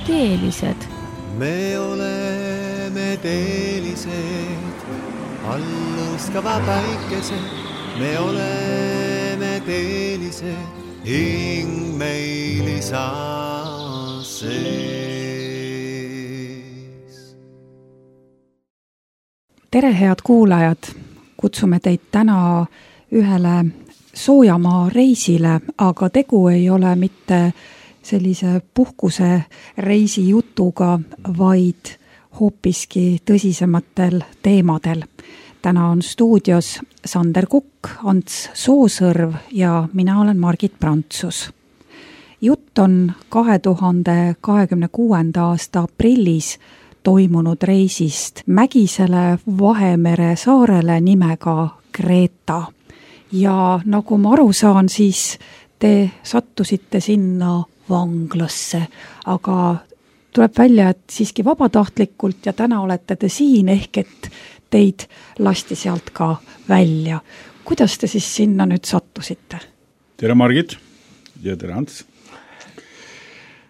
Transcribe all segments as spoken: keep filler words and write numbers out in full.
teelised. Me oleme teelised, alluskava päikesed. Me oleme teelised, hing meil isa sees. Tere, head kuulajad! Kutsume teid täna ühele soojamaa reisile, aga tegu ei ole mitte sellise puhkuse reisi jutuga, vaid hoopiski tõsisematel teemadel. Täna on stuudios Sander Kukk, Ants Soosõrv ja mina olen Margit Prantsus. Jutt on kahe tuhande kahekümne kuuenda aasta aprillis toimunud reisist Mägisele Vahemere saarele nimega Kreta. Ja nagu ma aru saan, siis te sattusite sinna vanglasse, aga tuleb välja, et siiski vabatahtlikult ja täna olete te siin, ehk et teid lasti sealt ka välja. Kuidas te siis sinna nüüd sattusite? Tere Margit ja tere Ants.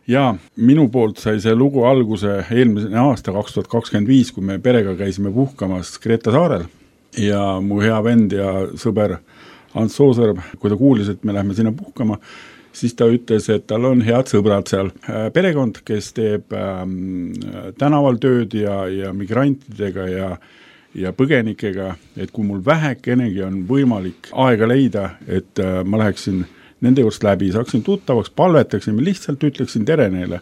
Ja minu poolt sai see lugu alguse eelmise aasta kaks tuhat kakskümmend viis, kui me perega käisime puhkamas Kreta saarel ja mu hea vend ja sõber Ants Soosõrv, kui ta kuulis, et me lähme sinna puhkama, siis ta ütles, et tal on head sõbrad seal. Perekond, kes teeb ähm, tänaval tööd ja, ja migrantidega ja, ja põgenikega, et kui mul vähekenegi on võimalik aega leida, et äh, ma läheksin nende juurest läbi, saaksin tuttavaks, palvetaksin, lihtsalt ütleksin tere neile.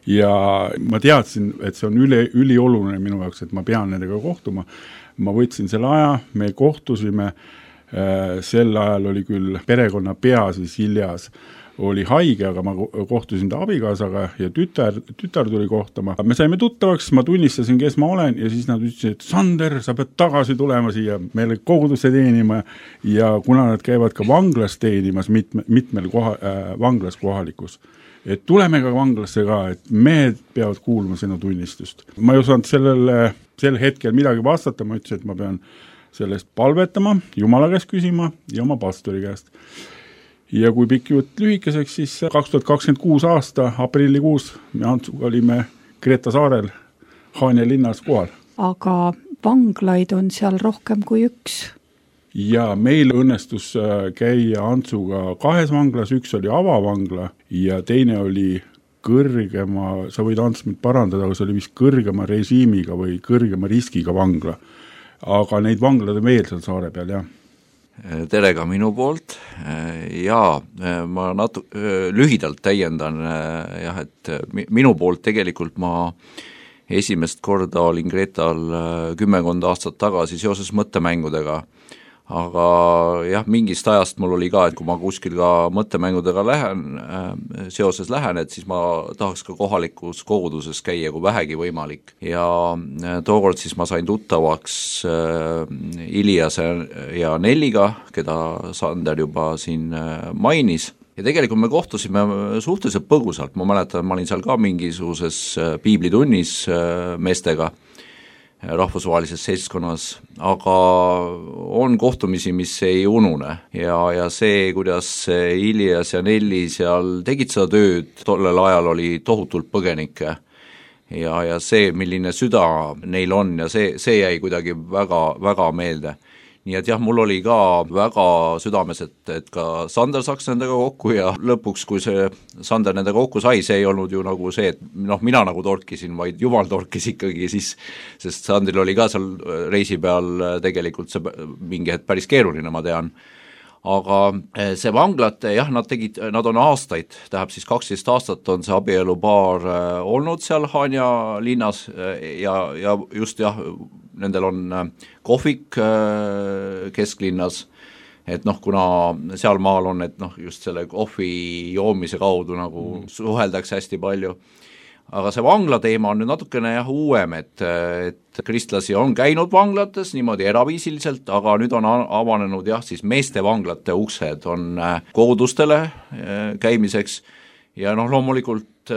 Ja ma teadsin, et see on üli, ülioluline minu jaoks, et ma pean nendega kohtuma. Ma võtsin selle aja, me kohtusime, äh, sel ajal oli küll perekonna pea siis Iljas, oli haige, aga ma kohtusin ta abikaasaga ja tütar, tütar tuli kohtama. Me saime tuttavaks, ma tunnistasin, kes ma olen ja siis nad ütlesid, et Sander, sa pead tagasi tulema siia meile kogudusse teenima ja kuna nad käivad ka vanglas teenimas mitme, mitmel koha, äh, vanglas kohalikus, et tuleme ka vanglasse ka, et mehed peavad kuulma sinu tunnistust. Ma ei osanud sellele, sel hetkel midagi vastata, ma ütlesin, et ma pean sellest palvetama, Jumala käest küsima ja oma pastori käest. Ja kui pikk jutt lühikeseks, siis kaks tuhat kakskümmend kuus aasta aprillikuus me Antsuga olime Kreta saarel Haanja linnas kohal. Aga vanglaid on seal rohkem kui üks. Ja meil õnnestus käia Antsuga kahes vanglas, üks oli avavangla ja teine oli kõrgema, sa võid Ants mind parandada, aga see oli vist kõrgema režiimiga või kõrgema riskiga vangla. Aga neid vanglad on veel seal saare peal, jah. Tere ka minu poolt ja ma natu- lühidalt täiendan jah, et minu poolt tegelikult ma esimest korda olin Kreetal kümmekond aastat tagasi seoses mõttemängudega, aga jah, mingist ajast mul oli ka, et kui ma kuskil ka mõttemängudega lähen, seoses lähen, et siis ma tahaks ka kohalikus koguduses käia, kui vähegi võimalik. Ja tookord siis ma sain tuttavaks Iljas ja Nelliga, keda Sander juba siin mainis. Ja tegelikult me kohtusime suhteliselt põgusalt, ma mäletan, ma olin seal ka mingisuguses piiblitunnis meestega, rahvusvahelises seltskonnas, aga on kohtumisi, mis ei unune ja, ja see, kuidas Iljas ja Nelli seal tegid seda tööd, tollel ajal oli tohutult põgenikke ja, ja see, milline süda neil on ja see, see jäi kuidagi väga, väga meelde. Nii et jah, mul oli ka väga südames, et, et ka Sander saaks nendega kokku ja lõpuks, kui see Sander nendega kokku sai, see ei olnud ju nagu see, et noh, mina nagu torkisin, vaid Jumal torkis ikkagi siis, sest Sandril oli ka seal reisi peal tegelikult see mingi hetk päris keeruline, ma tean. Aga see vanglad, jah, nad tegid, nad on aastaid, tähendab siis kaksteist aastat on see abielupaar olnud seal Haanja linnas ja, ja just jah, nendel on kohvik kesklinnas, et noh, kuna seal maal on, et noh, just selle kohvi joomise kaudu nagu suheldakse hästi palju. Aga see vangla teema on nüüd natukene jah uuem, et, et kristlasi on käinud vanglates niimoodi eraviisiliselt, aga nüüd on avanenud jah, siis meeste vanglate uksed on kogudustele käimiseks ja noh, loomulikult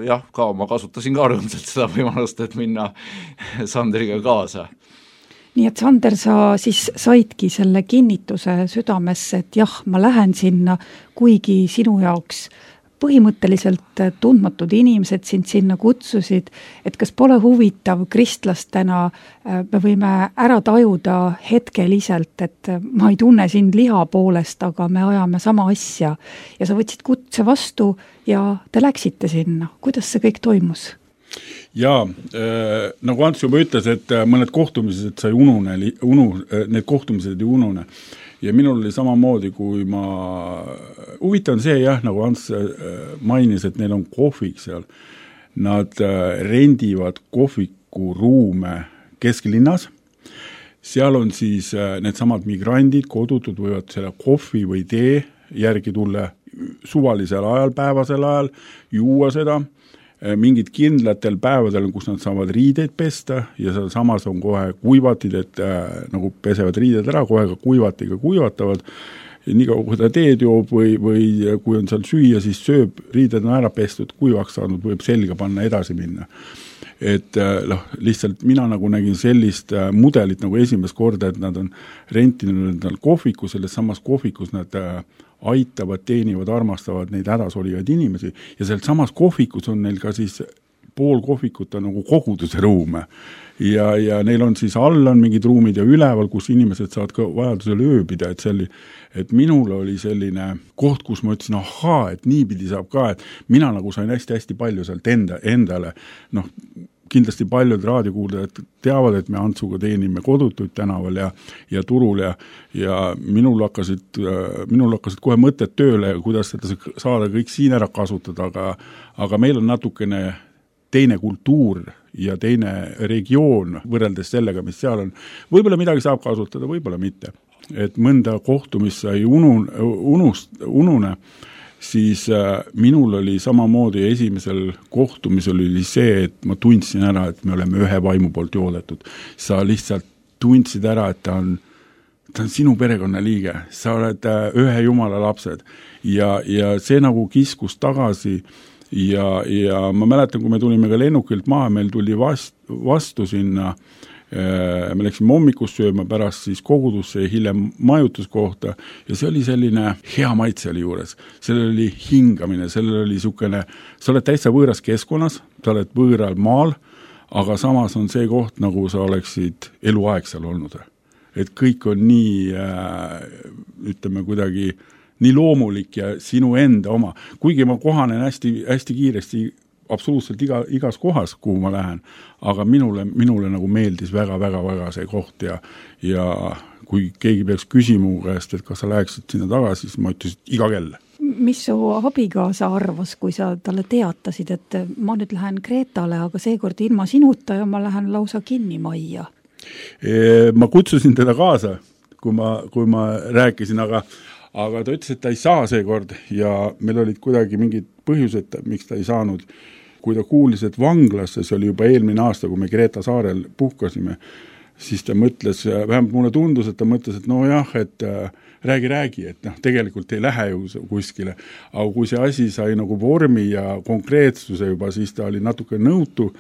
jah, ka ma kasutasin ka rõõmsalt seda võimalust, et minna Sandriga kaasa. Nii et Sander, sa siis saidki selle kinnituse südamesse, et jah, ma lähen sinna, kuigi sinu jaoks põhimõtteliselt tundmatud inimesed sind sinna kutsusid, et kas pole huvitav kristlastena, me võime ära tajuda hetkeliselt, et ma ei tunne sind liha poolest, aga me ajame sama asja ja sa võtsid kutse vastu ja te läksite sinna. Kuidas see kõik toimus? Jaa, äh, nagu Ants juba ütles, et mõned kohtumised sai unune, unu, need kohtumised ei unune. Ja minul oli samamoodi, kui ma, huvitav on see jah, nagu Ants mainis, et neil on kohvik seal. Nad rendivad kohviku ruume kesklinnas. Seal on siis need samad migrandid, kodutud võivad selle kohvi või tee järgi tulla suvalisel ajal, päevasel ajal, juua seda. Mingid kindlatel päevadel, kus nad saavad riideid pesta ja seal samas on kohe kuivatid, et äh, nagu pesevad riided ära, kohe ka kuivatiga kuivatavad. Nii kaua, kui ta teed joob või, või kui on seal süüa, siis sööb, riided on ära pestud, kuivaks saanud, võib selga panna edasi minna. Et noh, lihtsalt mina nagu nägin sellist mudelit nagu esimest korda, et nad on rentinud endal kohviku, selles samas kohvikus nad aitavad, teenivad, armastavad neid hädas olivaid inimesi ja sealt samas kohvikus on neil ka siis pool kohvikut on nagu koguduse ruume ja, ja neil on siis all on mingid ruumid ja üleval, kus inimesed saavad ka vajadusel ööbida, et see oli, et minul oli selline koht, kus ma ütlesin, ahaa, et niipidi saab ka, et mina nagu sain hästi-hästi palju sealt enda, endale, noh, kindlasti paljud raadiokuuldajad teavad, et me Antsuga teenime kodutuid tänaval ja, ja turul ja, ja minul hakkasid, minul hakkasid kohe mõtted tööle, kuidas seda saada kõik siin ära kasutada, aga, aga meil on natukene teine kultuur ja teine regioon võrreldes sellega, mis seal on. Võib-olla midagi saab kasutada, võib-olla mitte. Et mõnda kohtumist sai unun, unust, unune, siis äh, minul oli samamoodi esimesel kohtumisel oli see, et ma tundsin ära, et me oleme ühe vaimu poolt joodetud. Sa lihtsalt tundsid ära, et ta on, ta on sinu perekonna liige. Sa oled äh, ühe jumala lapsed. Ja, ja see nagu kiskus tagasi ja, ja ma mäletan, kui me tulime ka lennukilt maha, meil tuli vast, vastu sinna me läksime hommikust sööma pärast siis kogudusse ja hiljem majutuskohta ja see oli selline hea maitse oli juures. Sellel oli hingamine, sellel oli sukene, sa oled täitsa võõras keskkonnas, sa oled võõral maal, aga samas on see koht, nagu sa oleksid eluaeg seal olnud. Et kõik on nii, ütleme kuidagi, nii loomulik ja sinu enda oma. Kuigi ma kohanen hästi, hästi kiiresti absoluutselt iga, igas kohas, kuhu ma lähen, aga minule, minule nagu meeldis väga-väga-väga see koht ja, ja kui keegi peaks küsima käest, et kas sa läheksid sinna tagasi, siis ma ütlesin, iga kell. Mis su abikaasa arvas, kui sa talle teatasid, et ma nüüd lähen Kreetale, aga seekord ilma sinuta ja ma lähen lausa kinni majja? E, ma kutsusin teda kaasa, kui ma, kui ma rääkisin, aga aga ta ütles, et ta ei saa seekord ja meil olid kuidagi mingid põhjused, miks ta ei saanud. Kui ta kuulis, et vanglasse, see oli juba eelmine aasta, kui me Kreeta saarel puhkasime, siis ta mõtles, vähemalt mulle tundus, et ta mõtles, et no jah, et äh, räägi, räägi, et noh, tegelikult ei lähe ju kuskile. Aga kui see asi sai nagu vormi ja konkreetsuse juba, siis ta oli natuke nõutu.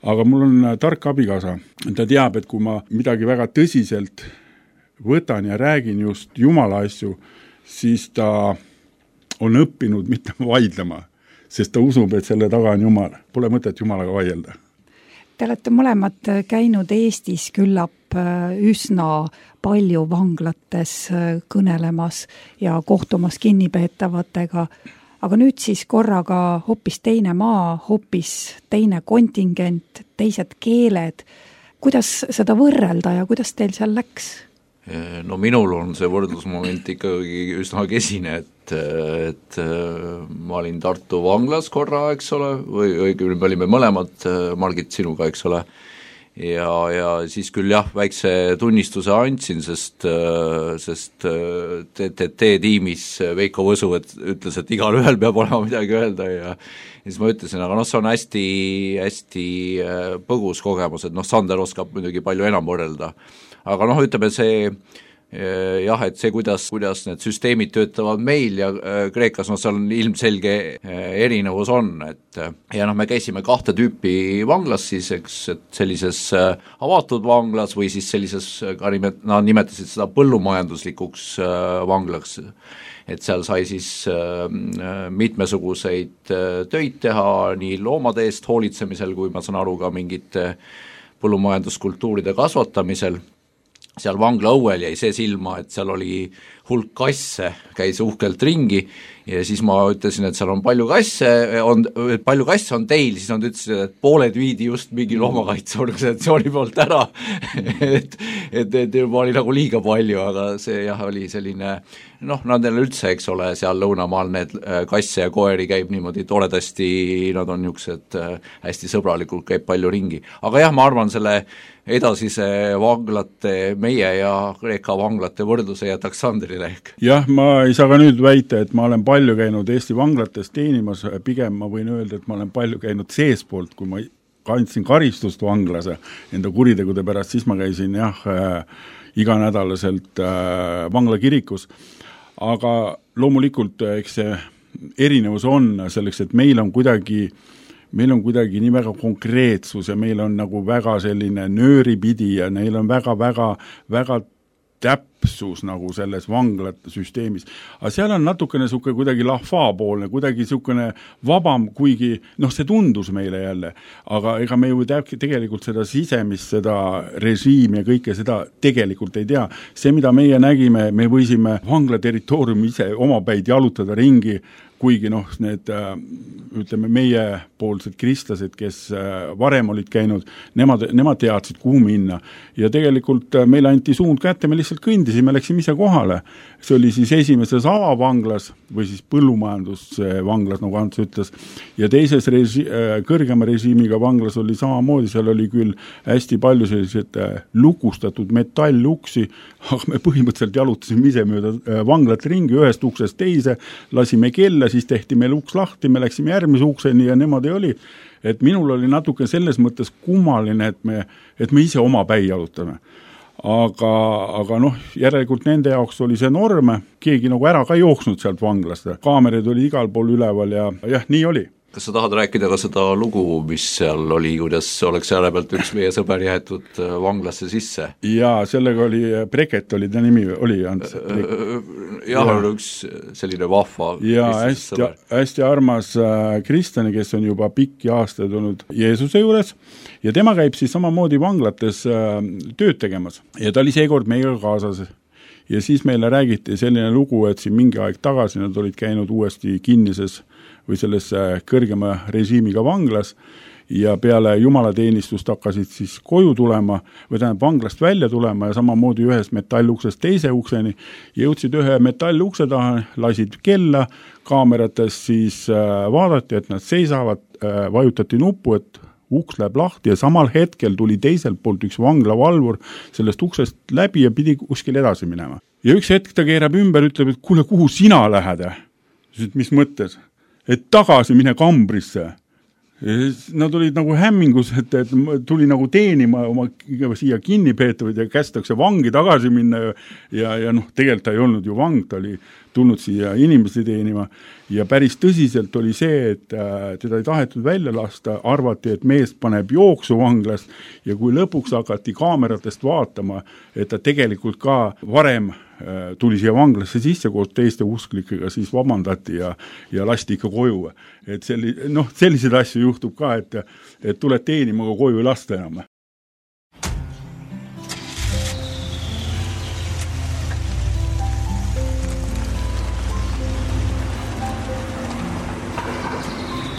Aga mul on tark abikaasa. Ta teab, et kui ma midagi väga tõsiselt võtan ja räägin just Jumala asju, siis ta on õppinud mitte vaidlema, sest ta usub, et selle taga on Jumal. Pole mõtet Jumalaga vaielda. Te olete mõlemad käinud Eestis küllap üsna palju vanglates kõnelemas ja kohtumas kinnipeetavatega, aga nüüd siis korraga hoopis teine maa, hoopis teine kontingent, teised keeled. Kuidas seda võrrelda ja kuidas teil seal läks? No minul on see võrdlusmoment ikkagi üsna kesine, et, et ma olin Tartu vanglas korra, eks ole, või õigemini me olime mõlemad, Margit sinuga, eks ole, ja, ja siis küll jah, väikse tunnistuse andsin, sest, sest T T T-tiimis Veiko Võsu et, ütles, et igal ühel peab olema midagi öelda ja siis ma ütlesin, aga noh, see on hästi, hästi põgus kogemus, et noh, Sander oskab muidugi palju enam võrrelda. Aga noh, ütleme see jah, et see, kuidas, kuidas need süsteemid töötavad meil ja Kreekas, no seal on ilmselge erinevus on, et ja noh, me käisime kahte tüüpi vanglas siis, eks, et sellises avatud vanglas või siis sellises, ka nimet-, nad nimetasid seda põllumajanduslikuks vanglaks, et seal sai siis mitmesuguseid töid teha nii loomade eest hoolitsemisel, kui ma saan aru ka mingite põllumajanduskultuuride kasvatamisel. Seal vangla õuel jäi see silma, et seal oli hulk kasse, käis uhkelt ringi ja siis ma ütlesin, et seal on palju kasse, on, palju kasse on teil, siis nad ütlesid, et pooled viidi just mingi loomakaitseorganisatsiooni poolt ära et, et, et juba oli nagu liiga palju, aga see jah, oli selline noh, nendel üldse, eks ole, seal lõunamaal need kasse ja koeri käib niimoodi toredasti, nad on niisugused hästi sõbralikult, käib palju ringi. Aga jah, ma arvan, selle edasise vanglate, meie ja Kreeka vanglate võrdluse jätaks Sandrile ehk. Jah, ma ei saa ka nüüd väita, et ma olen palju käinud Eesti vanglates teenimas, pigem ma võin öelda, et ma olen palju käinud seespoolt, kui ma kandsin karistust vanglas enda kuritegude pärast, siis ma käisin jah, äh, iganädalaselt äh, vanglakirikus. Aga loomulikult, eks see erinevus on selleks, et meil on kuidagi meil on kuidagi nii väga konkreetsus ja meil on nagu väga selline nööripidi ja neil on väga, väga, väga täpsus nagu selles vanglate süsteemis. Aga seal on natukene suke kuidagi lahvaapoolne, kuidagi sukene vabam, kuigi noh, see tundus meile jälle, aga ega me ju tegelikult seda sisemist, seda režiimi ja kõike seda tegelikult ei tea. See, mida meie nägime, me võisime vangla territooriumi ise omapäid jalutada ringi, kuigi noh, need ütleme meie poolsed kristlased, kes varem olid käinud, nemad, nemad teadsid, kuhu minna. Ja tegelikult meile anti suund kätte, me lihtsalt kõndisime, läksime ise kohale. See oli siis esimeses avavanglas või siis põllumajandusvanglas, nagu Ants ütles. Ja teises resi- kõrgema režiimiga vanglas oli samamoodi, seal oli küll hästi palju sellised lukustatud metalluksi, aga me põhimõtteliselt jalutasime ise mööda vanglat ringi ühest uksest teise, lasime kella, siis tehti meil uks lahti, me läksime järgmise ukseni ja nemad ei oli. Et minul oli natuke selles mõttes kummaline, et me, et me ise oma päi jalutame. Aga, aga noh, järelikult nende jaoks oli see norm, keegi nagu ära ka jooksnud sealt vanglast. Kaamerid oli igal pool üleval ja jah, nii oli. Kas sa tahad rääkida ka seda lugu, mis seal oli, kuidas oleks selle pealt üks meie sõber jäetud vanglasse sisse? Jaa, sellega oli, Breket oli ta nimi, oli Ants. Jah, on üks selline vahva ja hästi, hästi armas kristlane, kes on juba pikki aastaid olnud Jeesuse juures ja tema käib siis samamoodi vanglates tööd tegemas ja ta oli seekord meiega kaasas. Ja siis meile räägiti selline lugu, et siin mingi aeg tagasi nad olid käinud uuesti kinnises või selles kõrgema režiimiga vanglas ja peale jumalateenistust hakkasid siis koju tulema või tähendab vanglast välja tulema ja samamoodi ühes metalluksest teise ukseni ja jõudsid ühe metallukse taha, lasid kella, kaamerates siis vaadati, et nad seisavad, vajutati nuppu, et uks läheb lahti ja samal hetkel tuli teiselt poolt üks vanglavalvur sellest uksest läbi ja pidi kuskil edasi minema. Ja üks hetk ta keerab ümber, ütleb, et kuule, kuhu sina lähed? Et mis mõttes? Et tagasi mine kambrisse. Nad olid nagu hämmingus, et, et tuli nagu teenima oma siia kinni peetavad ja kästakse vangi tagasi minna ja, ja, ja noh, tegelikult ta ei olnud ju vang, ta oli tulnud siia inimesi teenima ja päris tõsiselt oli see, et äh, teda ei tahetud välja lasta, arvati, et mees paneb jooksu vanglast ja kui lõpuks hakati kaameratest vaatama, et ta tegelikult ka varem äh, tuli siia vanglasse sisse koos teiste usklikega, siis vabandati ja, ja lasti ikka koju. Et selli, noh, selliseid asju juhtub ka, et, et tuled teenima, aga koju ei lasta enam.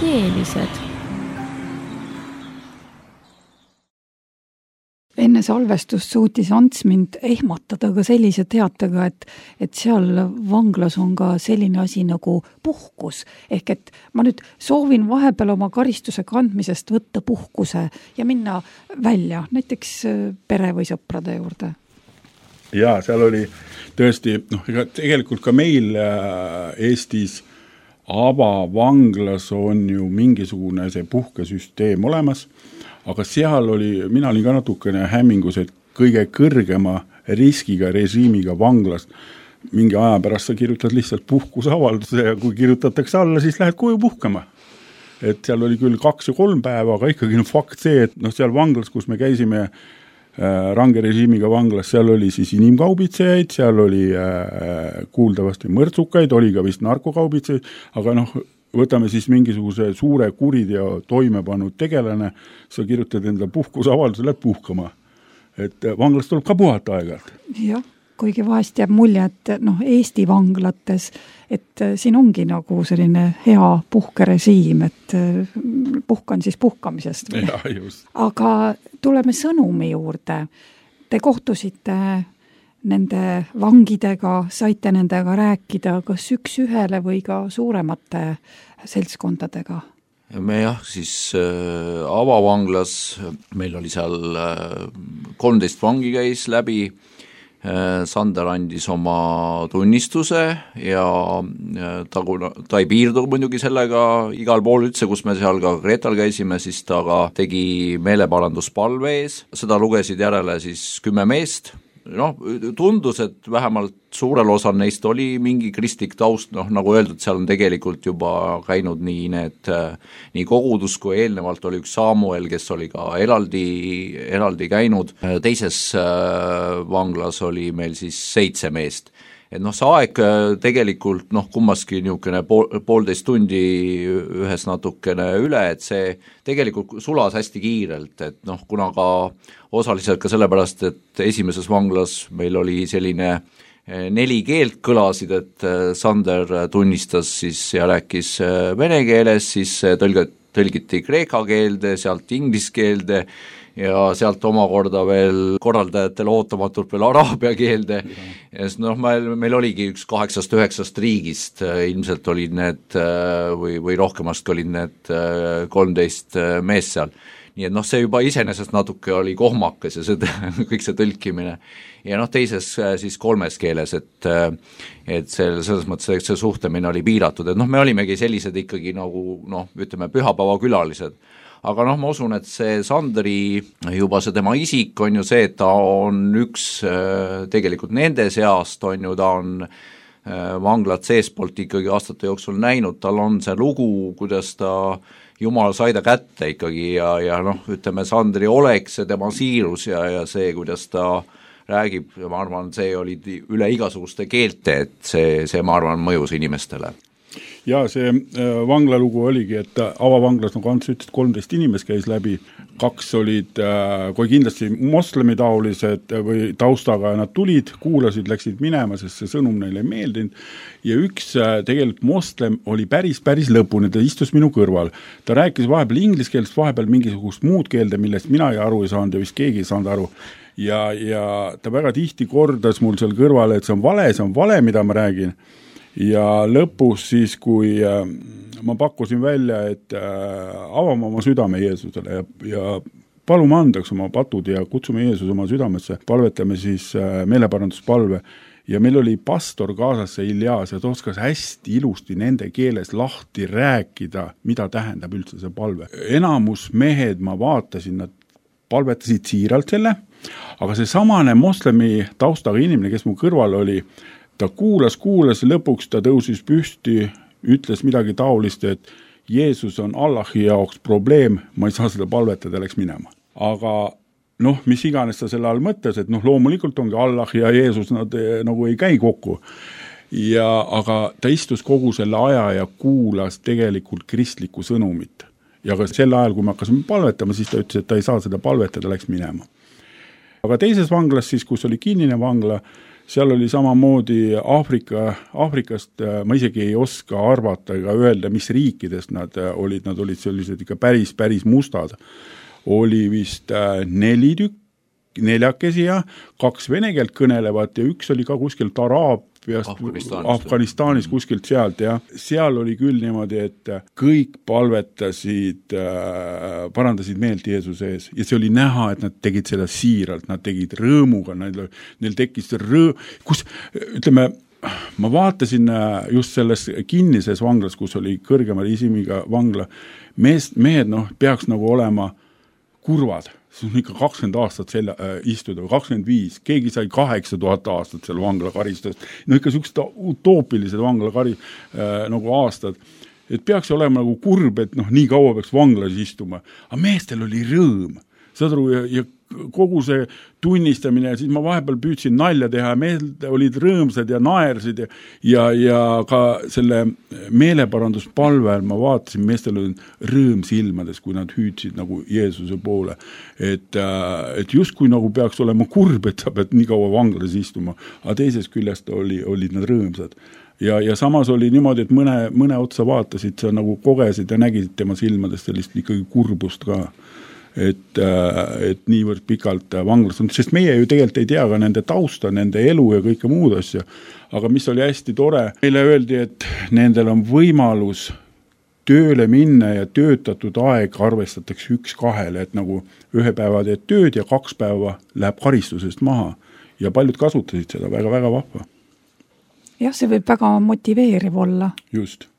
Keelised. Enne salvestust suutis Ants mind ehmatada ka sellise teatega, et, et seal vanglas on ka selline asi nagu puhkus. Ehk et ma nüüd soovin vahepeal oma karistuse kandmisest võtta puhkuse ja minna välja, näiteks pere või sõprade juurde. Jaa, seal oli tõesti, noh, tegelikult ka meil Eestis avavanglas on ju mingisugune see puhkesüsteem olemas, aga seal oli, mina olin ka natukene hämmingus, et kõige kõrgema riskiga režiimiga vanglast. Mingi aja pärast sa kirjutad lihtsalt puhkusavalduse ja kui kirjutatakse alla, siis lähed koju puhkama. Et seal oli küll kaks ja kolm päeva, aga ikkagi no fakt see, et noh, seal vanglas, kus me käisime range režiimiga vanglas, seal oli siis inimkaubitsejaid, seal oli äh, kuuldavasti mõrtsukaid, oli ka vist narkokaubitsejaid, aga noh, võtame siis mingisuguse suure kuriteo toime pannud tegelane, sa kirjutad enda puhkusavalduse, lähed puhkama. Et vanglast tuleb ka puhata aeg-ajalt. Jah, kuigi vahest jääb mulje, et noh, Eesti vanglates, et siin ongi nagu selline hea puhkerežiim, et puhkan siis puhkamisest. Ja, just. Aga tuleme sõnumi juurde. Te kohtusite nende vangidega, saite nendega rääkida kas üks ühele või ka suuremate seltskondadega? Me jah, siis äh, avavanglas, meil oli seal äh, kolmteist vangi käis läbi, äh, Sander andis oma tunnistuse ja äh, ta, ta ei piirdu muidugi sellega igal pool üldse, kus me seal ka Kreetal käisime, siis ta ka tegi meeleparanduspalve ees, seda lugesid järele siis kümme meest. Noh, tundus, et vähemalt suurel osal neist oli mingi kristlik taust, noh, nagu öeldud, seal on tegelikult juba käinud nii need, nii kogudus kui eelnevalt oli üks Samuel, kes oli ka eraldi, eraldi käinud, teises vanglas oli meil siis seitse meest. Et noh, see aeg tegelikult noh, kummaski niisugune pool, poolteist tundi ühes natukene üle, et see tegelikult sulas hästi kiirelt, et noh, kuna ka osaliselt ka sellepärast, et esimeses vanglas meil oli selline neli keelt kõlasid, et Sander tunnistas siis ja rääkis vene keeles, siis tõlg-, tõlgiti kreeka keelde, sealt inglise keelde ja sealt omakorda veel korraldajatele ootamatult veel araabia keelde. Ja noh, meil, meil oligi üks kaheksast üheksast riigist, ilmselt olid need või, või rohkemast olid need kolmteist mees seal. Nii et noh, see juba iseenesest natuke oli kohmakas ja see, kõik see tõlkimine. Ja noh, teises siis kolmes keeles, et, et see, selles mõttes see suhtlemine oli piiratud, et noh, me olimegi sellised ikkagi nagu noh, ütleme pühapäeva külalised. Aga noh, ma usun, et see Sandri, juba see tema isik on ju see, et ta on üks tegelikult nende seast, on ju, ta on vanglat seespoolt ikkagi aastate jooksul näinud, tal on see lugu, kuidas ta Jumal sai ta kätte ikkagi ja, ja noh, ütleme Sandri oleks see tema siirus ja, ja see, kuidas ta räägib, ma arvan, see oli üle igasuguste keelte, et see, see ma arvan, mõjus inimestele. Ja see vanglalugu oligi, et avavanglas, nagu Ants ütles, kolmteist inimest käis läbi, kaks olid kui kindlasti moslemitaolised või taustaga nad tulid, kuulasid, läksid minema, sest see sõnum neile ei meeldinud ja üks tegelikult moslem oli päris, päris lõpuni, ta istus minu kõrval. Ta rääkis vahepeal inglise keelest, vahepeal mingisugust muud keelde, millest mina ei aru ei saanud ja vist keegi ei saanud aru. Ja, ja ta väga tihti kordas mul seal kõrval, et see on vale, see on vale, mida ma räägin. Ja lõpus siis, kui äh, ma pakkusin välja, et äh, avame oma südame Jeesusele ja, ja palume andaks oma patud ja kutsume Jeesus oma südamesse, palvetame siis äh, meeleparanduspalve ja meil oli pastor kaasas see Iljas ja ta oskas hästi ilusti nende keeles lahti rääkida, mida tähendab üldse see palve. Enamus mehed ma vaatasin, nad palvetasid siiralt selle, aga see samane moslemi taustaga inimene, kes mu kõrval oli, ta kuulas, kuulas, lõpuks ta tõusis püsti, ütles midagi taolist, et Jeesus on Allahi jaoks probleem, ma ei saa seda palvetada, läks minema. Aga noh, mis iganes ta selle all mõttes, et noh, loomulikult ongi Allah ja Jeesus, nad nagu ei käi kokku. Ja, aga ta istus kogu selle aja ja kuulas tegelikult kristlikku sõnumit. Ja ka sel ajal, kui me hakkasime palvetama, siis ta ütles, et ta ei saa seda palvetada, läks minema. Aga teises vanglas siis, kus oli kinnine vangla, seal oli samamoodi Aafrika, Aafrikast, ma isegi ei oska arvata ega öelda, mis riikidest nad olid, nad olid sellised ikka päris, päris mustad. Oli vist neli tükk, neljakesi ja kaks vene keelt kõnelevat ja üks oli ka kuskilt Araabiast, Afganistanist, Afganistanist kuskilt sealt ja seal oli küll niimoodi, et kõik palvetasid, parandasid meelt Jeesuse ees ja see oli näha, et nad tegid seda siiralt, nad tegid rõõmuga, neil, neil tekkis rõõ, kus, ütleme, ma vaatasin just selles kinnises vanglas, kus oli kõrgema isimiga vangla, mees, mehed noh, peaks nagu olema kurvad, siis on ikka kakskümmend aastat selle, äh, istuda, kakskümmend viis, keegi sai kaheksa tuhat aastat seal vanglakaristust, no ikka sellised utoopilised vanglakari äh, nagu aastad, et peaks olema nagu kurb, et noh, nii kaua peaks vanglas istuma, aga meestel oli rõõm, saad aru, ja, ja kogu see tunnistamine ja siis ma vahepeal püüdsin nalja teha ja mehed olid rõõmsad ja naersid ja, ja, ja ka selle meeleparanduspalvel ma vaatasin, meestel oli rõõm silmades, kui nad hüüdsid nagu Jeesuse poole. Et, et justkui nagu peaks olema kurb, et sa pead nii kaua vanglas istuma, aga teisest küljest oli, olid nad rõõmsad. Ja, ja samas oli niimoodi, et mõne, mõne otsa vaatasid, sa nagu kogesid ja nägisid tema silmadest sellist ikkagi kurbust ka. Et, et niivõrd pikalt vanglas on, sest meie ju tegelikult ei tea ka nende tausta, nende elu ja kõike muud asja, aga mis oli hästi tore, meile öeldi, et nendel on võimalus tööle minna ja töötatud aeg arvestatakse üks kahele, et nagu ühe päeva teed tööd ja kaks päeva läheb karistusest maha ja paljud kasutasid seda väga-väga vahva. Jah, see võib väga motiveeriv olla. Just.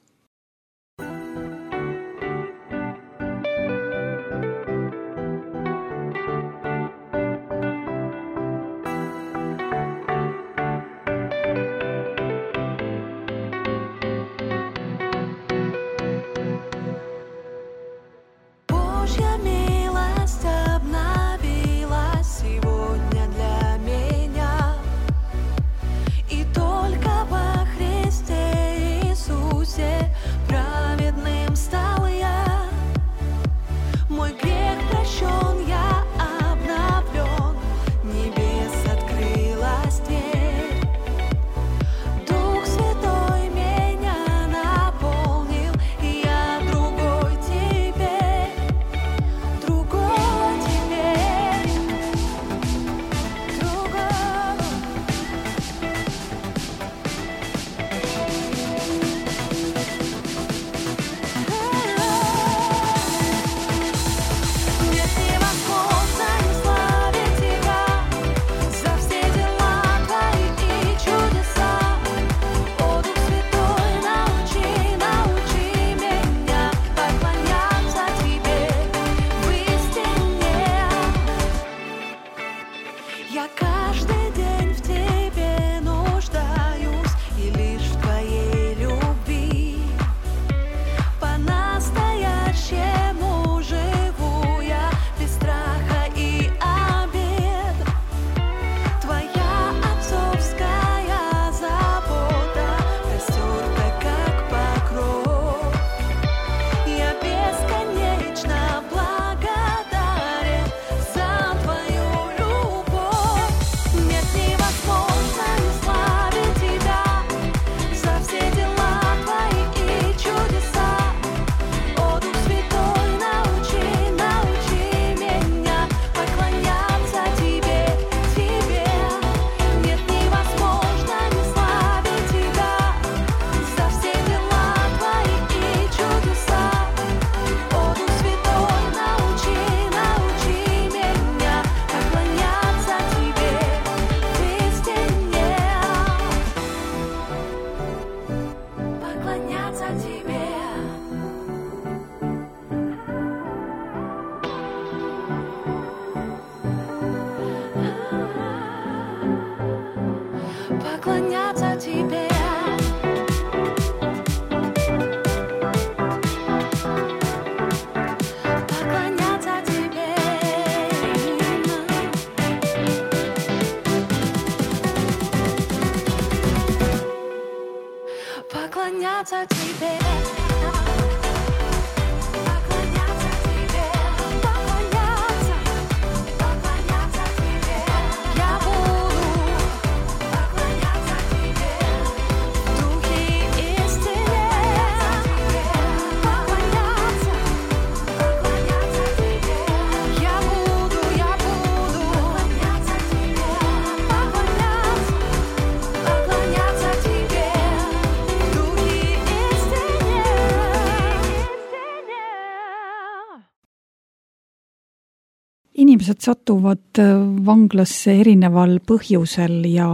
Inimesed satuvad vanglasse erineval põhjusel ja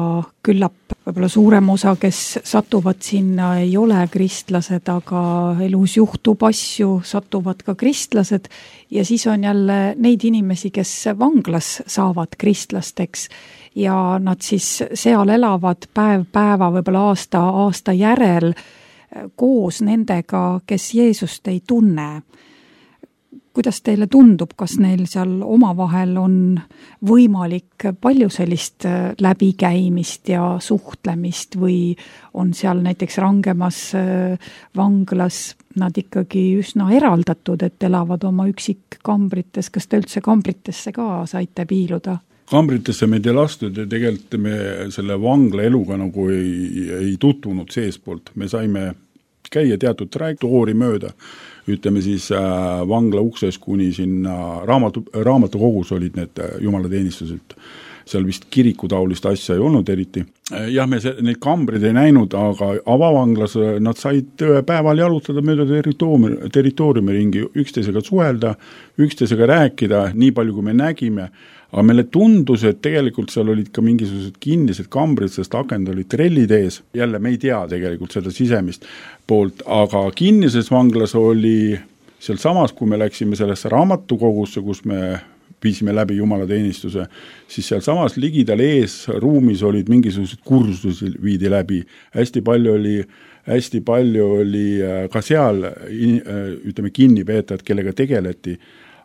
küllap võib-olla suurem osa, kes satuvad sinna, ei ole kristlased, aga elus juhtub asju, satuvad ka kristlased ja siis on jälle neid inimesi, kes vanglas saavad kristlasteks ja nad siis seal elavad päev päeva, võib-olla aasta, aasta järel koos nendega, kes Jeesust ei tunne. Kuidas teile tundub, kas neil seal omavahel on võimalik palju sellist läbikäimist ja suhtlemist või on seal näiteks rangemas vanglas nad ikkagi üsna eraldatud, et elavad oma üksikkambrites, kas te üldse kambritesse ka saite piiluda? Kambritesse meid ei lastud ja tegelikult me selle vangla eluga nagu ei, ei tutvunud seespoolt. Me saime käia teatud trajektoori mööda, ütleme siis äh, vangla ukses kuni sinna raamatu, raamatukogus olid need jumalateenistused. Seal vist kirikutaulist asja ei olnud eriti. Jah, me se, neid kambrid ei näinud, aga avavanglas nad said päeval jalutada mööda territooriumi, territooriumi ringi, üksteisega suhelda, üksteisega rääkida, nii palju kui me nägime. Aga meile tundus, et tegelikult seal olid ka mingisugused kinnised kambrid, sest akend olid trellid ees. Jälle me ei tea tegelikult seda sisemist poolt, aga kinnises vanglas oli seal samas, kui me läksime sellesse raamatukogusse, kus me viisime läbi jumalateenistuse, siis seal samas ligidal ees ruumis olid mingisugused kursusi viidi läbi. Hästi palju oli, hästi palju oli ka seal, ütleme, kinnipeetajad, kellega tegeleti,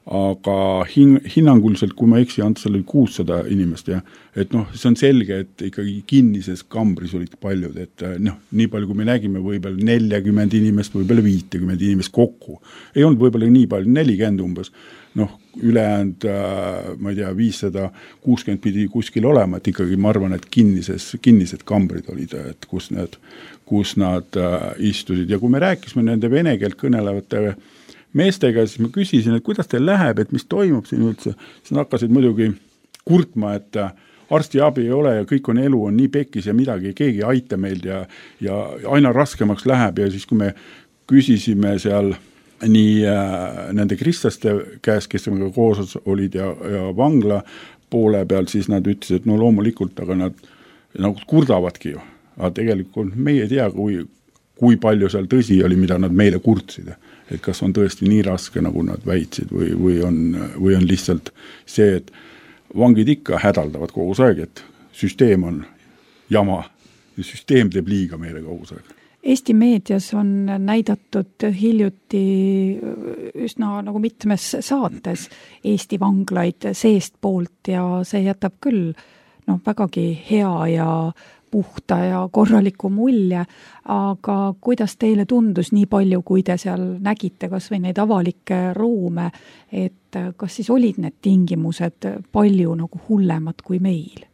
aga hin, hinnanguliselt, kui ma eksi, Ants, oli kuussada inimest ja et noh, see on selge, et ikkagi kinnises kambris olid paljud, et noh, nii palju kui me nägime, võib-olla nelikümmend inimest, võib-olla viiskümmend inimest kokku. Ei olnud võib-olla nii palju, nelikümmend umbes. Noh, ülejäänud, ma ei tea, viissada kuuskümmend pidi kuskil olema, et ikkagi ma arvan, et kinnises, kinnised kambrid olid, et kus nad, kus nad istusid. Ja kui me rääkisime nende vene keelt kõnelevate meestega, siis ma küsisin, et kuidas teil läheb, et mis toimub siin üldse. Siis nad hakkasid muidugi kurtma, et arsti abi ei ole ja kõik on elu on nii pekis ja midagi, keegi ei aita meil ja, ja aina raskemaks läheb ja siis kui me küsisime seal nii äh, nende kristlaste käes, kes me koos olid ja, ja vangla poole peal, siis nad ütlesid, et no loomulikult, aga nad nagu kurdavadki ju. Aga tegelikult meie ei tea, kui, kui palju seal tõsi oli, mida nad meile kurtsid. Et kas on tõesti nii raske, nagu nad väitsid või, või, on, või on lihtsalt see, et vangid ikka hädaldavad kogu aeg, et süsteem on jama ja süsteem teeb liiga meile kogu aeg. Eesti meedias on näidatud hiljuti üsna nagu mitmes saates Eesti vanglaid seest poolt ja see jätab küll no, vägagi hea ja puhta ja korraliku mulje, aga kuidas teile tundus nii palju, kui te seal nägite kas või neid avalikke ruume, et kas siis olid need tingimused palju nagu hullemad kui meil?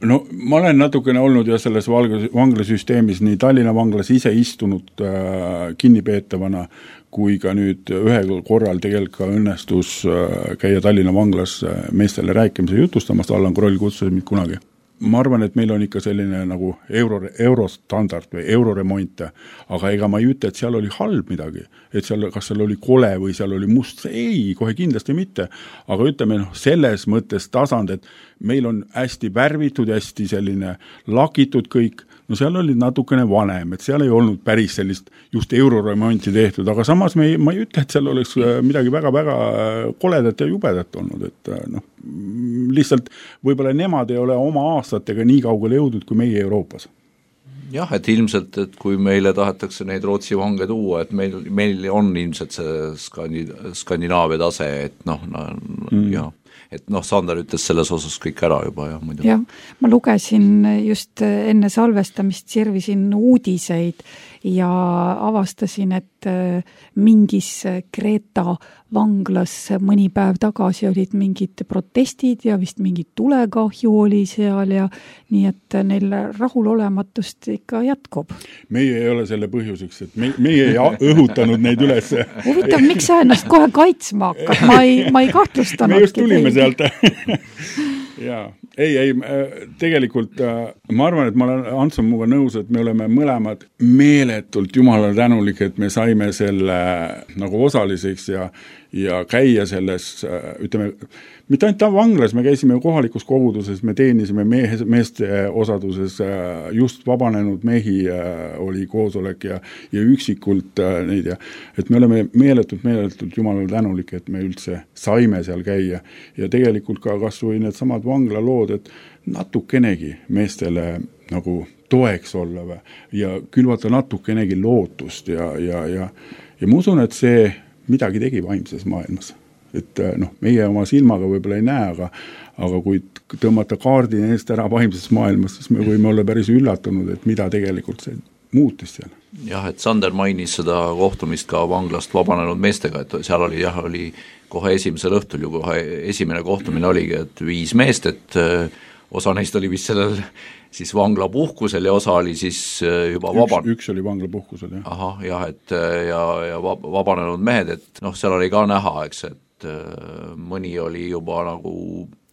No ma olen natukene olnud ja selles vanglasüsteemis nii Tallinna vanglas ise istunud äh, kinnipeetavana, kui ka nüüd ühel korral tegelikult ka õnnestus äh, käia Tallinna vanglas äh, meestele rääkimise jutustamast, Allan Kroll kutsus mind kunagi. Ma arvan, et meil on ikka selline nagu euro, eurostandard või euroremont, aga ega ma ei ütle, et seal oli halb midagi, et seal, kas seal oli kole või seal oli must, ei, kohe kindlasti mitte, aga ütleme noh, selles mõttes tasand, et meil on hästi värvitud, hästi selline lakitud kõik, no seal oli natukene vanem, et seal ei olnud päris sellist just euroremonti tehtud, aga samas me ei, ma ei ütle, et seal oleks midagi väga-väga koledat ja jubedat olnud, et noh, lihtsalt võib-olla nemad ei ole oma aastatega nii kaugele jõudnud kui meie Euroopas. Jah, et ilmselt, et kui meile tahetakse neid Rootsi vange tuua, et meil, meil on ilmselt see Skandi, Skandinaavia tase, et noh, no, mm. jah. Et noh, Sander ütles selles osas kõik ära juba ja muidu. Jah, ma lugesin just enne salvestamist, sirvisin uudiseid ja avastasin, et mingis Kreeta vanglas mõni päev tagasi olid mingid protestid ja vist mingid tulekahju oli seal ja nii, et neil rahulolematust ikka jätkub. Meie ei ole selle põhjuseks, et me, meie ei õhutanud neid üles. Huvitav, miks sa ennast kohe kaitsma hakkad? Ma ei, ma ei kahtlustanud. Me just tulime sealt. Jaa, ei, ei, tegelikult ma arvan, et ma olen Ants on muga nõus, et me oleme mõlemad meeletult jumalale tänulik, et me saime selle nagu osaliseks ja, ja käia selles, ütleme, mitte ainult vanglas, me käisime kohalikus koguduses, me teenisime mehe, meeste osaduses, just vabanenud mehi oli koosolek ja, ja üksikult neid ja et me oleme meeletult, meeletult jumalale tänulik, et me üldse saime seal käia ja tegelikult ka kas või need samad vanglalood, et natukenegi meestele nagu toeks olla või, ja külvata natukenegi lootust ja, ja, ja, ja ma usun, et see midagi tegi vaimses maailmas. Et noh, meie oma silmaga võib-olla ei näe, aga, aga kui tõmmata kaardi eest ära vaimses maailmas, siis me võime olla päris üllatunud, et mida tegelikult see muutis seal. Jah, et Sander mainis seda kohtumist ka vanglast vabanenud meestega, et seal oli jah, oli kohe esimesel õhtul ju kohe esimene kohtumine oligi, et viis meest, et osa neist oli vist sellel siis vangla puhkusel ja osa oli siis juba vaba... Üks, üks oli vangla puhkusel, jah. Ahah, jah, et ja, ja vabanenud mehed, et noh, seal oli ka näha, eks, et mõni oli juba nagu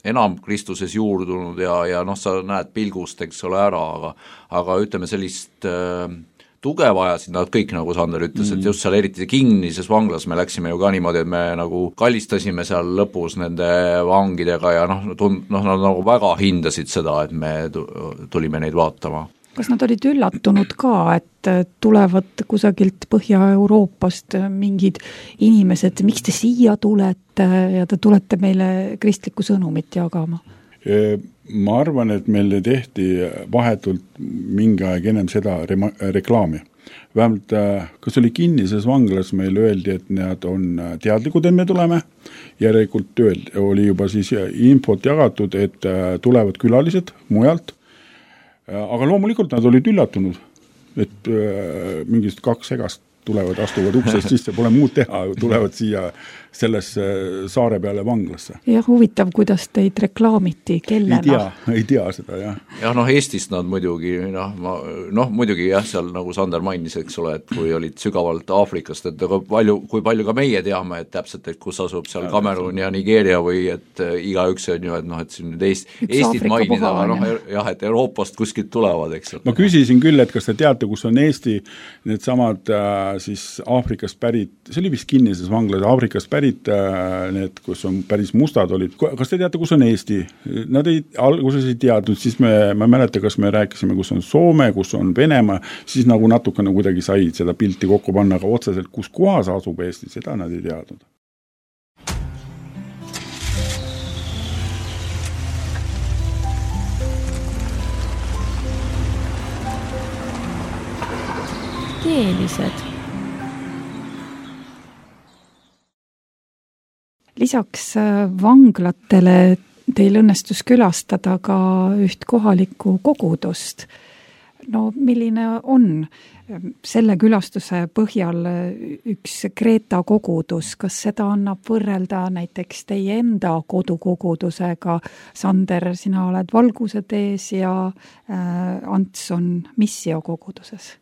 enam Kristuses juurdunud ja, ja noh, sa näed pilgust, eks ole, ära, aga, aga ütleme sellist äh, tuge vajasid nad kõik, nagu Sander ütles, mm. et just seal eriti kinnises vanglas me läksime ju ka niimoodi, et me nagu kallistasime seal lõpus nende vangidega ja noh, tund, noh nad nagu väga hindasid seda, et me tulime neid vaatama. Kas nad olid üllatunud ka, et tulevad kusagilt Põhja-Euroopast mingid inimesed, miks te siia tulete ja te tulete meile kristlikku sõnumit jagama? Ma arvan, et meil tehti vahetult mingi aeg ennem seda rema- reklaami. Vähemalt, kas oli kinnises vanglas, meil öeldi, et nad on teadlikud, et me tuleme. Järelikult öeldi, oli juba siis infot jagatud, et tulevad külalised mujalt. Aga loomulikult nad olid üllatunud, et äh, mingist kaks segast tulevad, astuvad uksest sisse, pole muud teha, tulevad siia sellesse saare peale vanglasse. Ja huvitav, kuidas teid reklaamiti, kellena? Ei tea, ei tea seda, jah. Jah, noh, Eestist nad muidugi, noh, ma, noh, muidugi jah, seal nagu Sander mainis, eks ole, et kui olid sügavalt Aafrikast, et aga palju, kui palju ka meie teame, et täpselt, et kus asub seal Kamerun ja Nigeeria või et igaüks on ju, et noh, et siin nüüd Eest, Eestit mainida, aga noh, jah, et Euroopast kuskilt tulevad, eks ole. Ma küsisin küll, et kas te teate, kus on Eesti, need samad äh, siis Aafrikast pärit, see oli vist kinnises vanglas, Aafrikast pärit need, kus on päris mustad olid. Kas te teate, kus on Eesti? Nad ei, alguses ei teadnud, siis me, ma mäleta, kas me rääkisime, kus on Soome, kus on Venemaa, siis nagu natukene kuidagi sai seda pilti kokku panna, aga otseselt, kus kohas asub Eesti, seda nad ei teadnud. Keelised. Lisaks vanglatele teil õnnestus külastada ka üht kohalikku kogudust. No milline on selle külastuse põhjal üks Kreeta kogudus? Kas seda annab võrrelda näiteks teie enda kodukogudusega? Sander, sina oled Valguse tees ja Ants on Missio koguduses.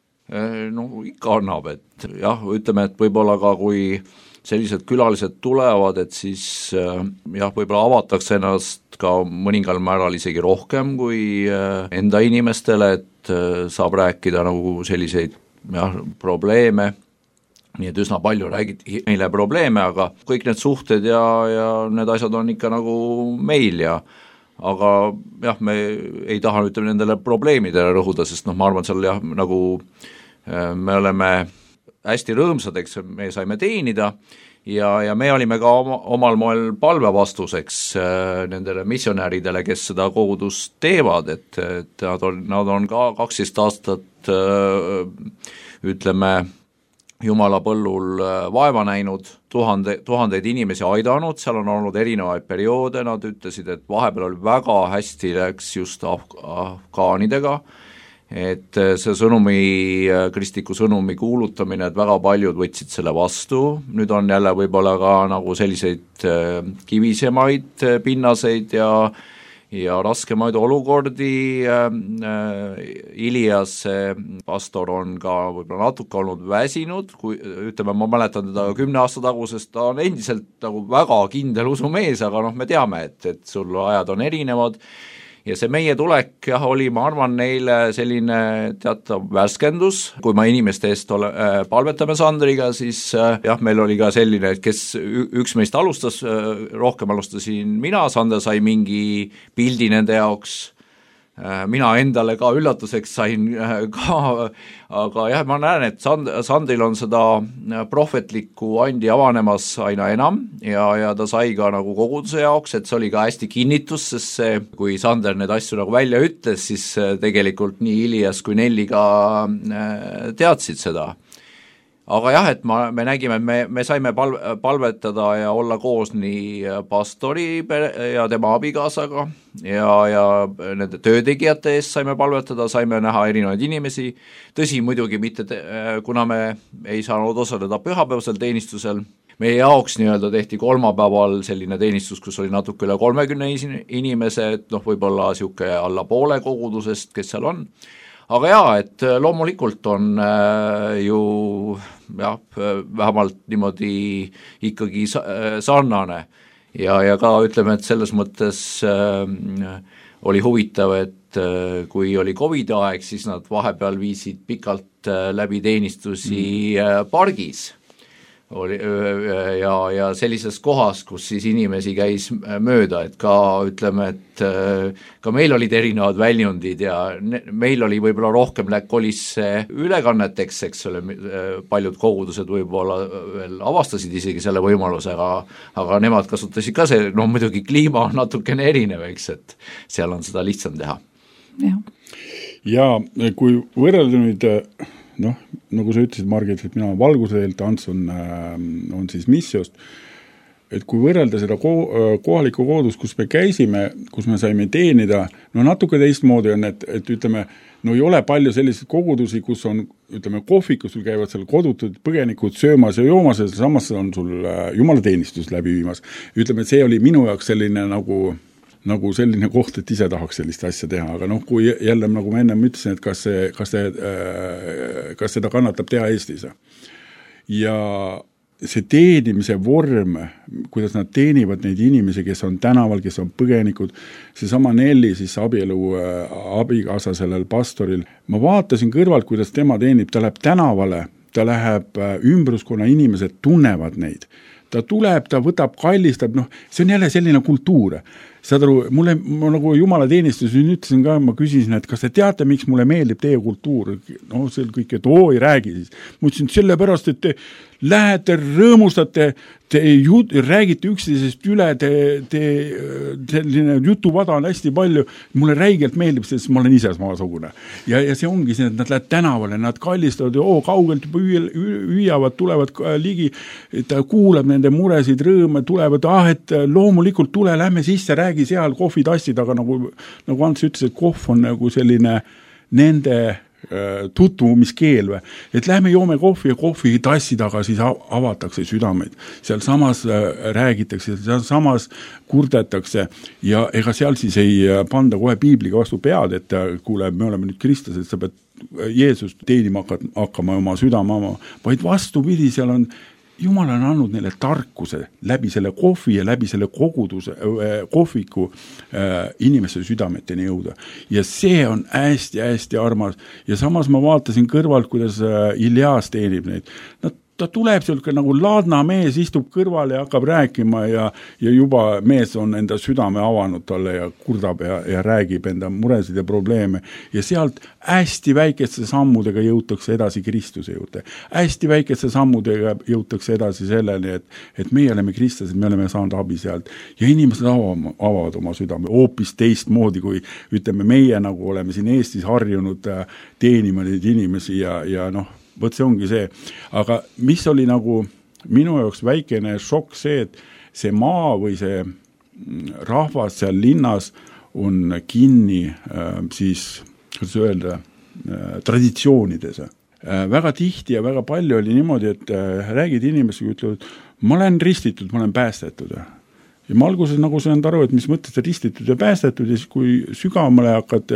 No ikka annab, et jah, ütleme, et võib-olla ka kui sellised külalised tulevad, et siis jah, võib-olla avatakse ennast ka mõningal määral isegi rohkem kui enda inimestele, et saab rääkida nagu selliseid jah, probleeme, nii et üsna palju räägiti meile probleeme, aga kõik need suhted ja, ja need asjad on ikka nagu meil ja aga jah, me ei taha ütleme nendele probleemidele rõhuda, sest noh, ma arvan, seal jah, nagu me oleme hästi rõõmsad, eks me saime teenida ja, ja me olime ka oma, omal moel palvevastuseks äh, nendele missionääridele, kes seda kogudust teevad, et, et nad on, nad on ka kaksteist aastat äh, ütleme Jumala põllul vaeva näinud, tuhande, tuhandeid inimesi aidanud, seal on olnud erinevaid perioode, nad ütlesid, et vahepeal oli väga hästi läks just af- afgaanidega, et see sõnumi, kristliku sõnumi kuulutamine, et väga paljud võtsid selle vastu, nüüd on jälle võib-olla ka nagu selliseid kivisemaid pinnaseid ja ja raskemaid olukordi, Ilias pastor on ka võib-olla natuke olnud väsinud, kui ütleme, ma mäletan teda kümne aasta tagusest, ta on endiselt nagu väga kindel usumees, aga noh, me teame, et, et sul ajad on erinevad ja see meie tulek jah, oli, ma arvan, neile selline teatav värskendus, kui ma inimeste eest ole, äh, palvetame Sandriga, siis äh, jah, meil oli ka selline, et kes üks meist alustas, äh, rohkem alustasin mina, Sander sai mingi pildi nende jaoks, mina endale ka üllatuseks sain ka, aga jah, ma näen, et Sand-, Sandril on seda prohvetlikku andi avanemas aina enam ja, ja ta sai ka nagu koguduse jaoks, et see oli ka hästi kinnitus, sest see, kui Sander need asju nagu välja ütles, siis tegelikult nii Ilias kui Nelli ka teadsid seda. Aga jah, et ma, me nägime, et me, me saime pal, palvetada ja olla koos nii pastori ja tema abikaasaga ja, ja nende töötegijate eest saime palvetada, saime näha erinevaid inimesi, tõsi muidugi mitte, te, kuna me ei saanud osaleda pühapäevasel teenistusel, meie jaoks nii-öelda tehti kolmapäeval selline teenistus, kus oli natuke üle kolmekümne inimese, et noh, võib-olla siuke alla poole kogudusest, kes seal on. Aga jaa, et loomulikult on äh, ju jah, vähemalt niimoodi ikkagi sarnane ja, ja ka ütleme, et selles mõttes äh, oli huvitav, et äh, kui oli Covidi aeg, siis nad vahepeal viisid pikalt äh, läbi teenistusi äh, pargis oli, ja, ja sellises kohas, kus siis inimesi käis mööda, et ka ütleme, et ka meil olid erinevad väljundid ja meil oli võib-olla rohkem kolis ülekanneteks, eks ole, paljud kogudused võib-olla veel avastasid isegi selle võimaluse, aga, aga nemad kasutasid ka see, no muidugi kliima on natukene erinev, eks, et seal on seda lihtsam teha. Ja, ja kui võrrelda nüüd noh, nagu sa ütlesid, Margit, et mina olen valguseelt, Ants on, on siis missiost, et kui võrrelda seda ko- kohalikku kogudust, kus me käisime, kus me saime teenida, no natuke teistmoodi on, et, et ütleme, no ei ole palju selliseid kogudusi, kus on, ütleme, kohvikus sul käivad seal kodutud põgenikud söömas ja joomas ja samas on sul jumalateenistus läbi viimas. Ütleme, et see oli minu jaoks selline nagu nagu selline koht, et ise tahaks sellist asja teha, aga noh, kui jälle, nagu ma ennem ütlesin, et kas, see, kas, see, kas seda kannatab teha Eestis. Ja see teenimise vorm, kuidas nad teenivad neid inimesi, kes on tänaval, kes on põgenikud, see sama Nelli, siis abielu abikaasa sellel pastoril, ma vaatasin kõrvalt, kuidas tema teenib, ta läheb tänavale, ta läheb ümbruskonna inimesed tunnevad neid, ta tuleb, ta võtab, kallistab, noh, see on jälle selline kultuur. Saad aru, mulle, ma nagu jumalateenistus ütlesin ka, ma küsisin, et kas te teate, miks mulle meeldib teie kultuur? No see kõik, et oo, ei räägi siis. Ma ütlesin, sellepärast, et te lähete, rõõmustate, te jut, räägite üksteisest üle, te, te selline jutuvada on hästi palju, mulle räigelt meeldib, sest ma olen ise samasugune. Ja, ja see ongi see, et nad lähevad tänavale, nad kallistavad ja oo, kaugelt juba hüüavad, tulevad ligi, ta kuulab nende muresid, rõõme, tulevad, ah, et loomulikult tule, lähme sisse, räägi seal kohvitassid, aga nagu, nagu Ants ütles, et kohv on nagu selline nende tutvumiskeel või, et lähme joome kohvi ja kohvi tassi taga siis avatakse südameid. Seal samas räägitakse, seal samas kurdetakse ja ega seal siis ei panda kohe piibliga vastu pead, et kuule, me oleme nüüd Kristus, et sa pead Jeesust teenima hakkama oma südame oma, vaid vastupidi, seal on Jumal on andnud neile tarkuse läbi selle kohvi ja läbi selle koguduse, kohviku äh, inimeste südameteni jõuda. Ja see on hästi-hästi armas. Ja samas ma vaatasin kõrvalt, kuidas äh, Ilias teenib neid. Nad ta tuleb selline nagu laadna mees, istub kõrval ja hakkab rääkima ja, ja juba mees on enda südame avanud talle ja kurdab ja, ja räägib enda muresid ja probleeme. Ja sealt hästi väikeste sammudega jõutakse edasi Kristuse juurde. Hästi väikeste sammudega jõutakse edasi selleni, et, et meie oleme kristlased, me oleme saanud abi sealt. Ja inimesed avavad, avavad oma südame hoopis teistmoodi, kui ütleme meie nagu oleme siin Eestis harjunud teenima neid inimesi ja, ja noh, võt see ongi see. Aga mis oli nagu minu jaoks väikene šokk see, et see maa või see rahvas seal linnas on kinni äh, siis, kuidas öelda, äh, traditsioonides. Äh, väga tihti ja väga palju oli niimoodi, et äh, räägid inimesega, ütlevad, ma olen ristitud, ma olen päästetud. ja ma alguses nagu saanud aru, et mis mõttes ristitud ja päästetud ja siis kui sügavamale hakkad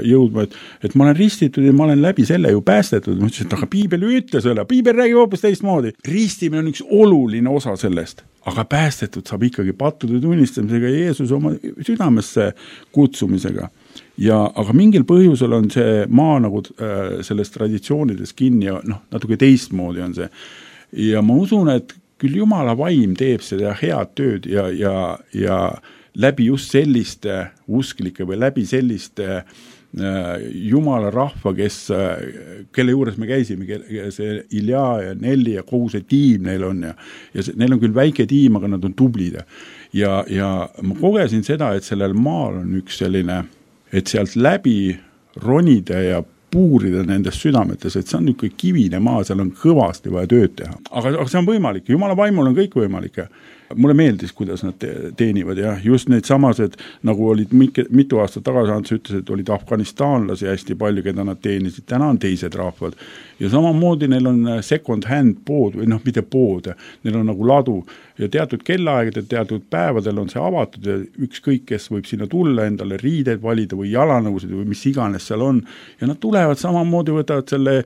jõudma, et, et ma olen ristitud ja ma olen läbi selle ju päästetud. Ma ütlesin, et aga piibel ju ütle selle, piibel räägib hoopis teistmoodi. Ristimine on üks oluline osa sellest, aga päästetud saab ikkagi pattude tunnistamisega ja Jeesuse oma südamesse kutsumisega. Ja, aga mingil põhjusel on see maa nagu äh, sellest traditsioonides kinni ja noh, natuke teistmoodi on see. Ja ma usun, et küll Jumala vaim teeb seda head tööd ja, ja, ja läbi just selliste usklike või läbi selliste äh, Jumala rahva, kes, äh, kelle juures me käisime, see Ilja ja Nelli ja kogu see tiim neil on ja, ja see, neil on küll väike tiim, aga nad on tublid. Ja, ja ma kogesin seda, et sellel maal on üks selline, et sealt läbi ronida ja puurida nendest südametes, et see on niisugune kivine maa, seal on kõvasti vaja tööd teha. Aga, aga see on võimalik, Jumala vaimul on kõik võimalik. Mulle meeldis, kuidas nad teenivad ja just need samased, nagu olid mitu aastat tagasi, Ants ütles, et olid afganistaanlasi hästi palju, keda nad teenisid, täna on teised rahvad. Ja samamoodi neil on second hand pood või noh, mitte pood, neil on nagu ladu ja teatud kellaaegade, teatud päevadel on see avatud ja ükskõik, kes võib sinna tulla, endale riideid valida või jalanõusid või mis iganes seal on ja nad tulevad samamoodi, võtavad selle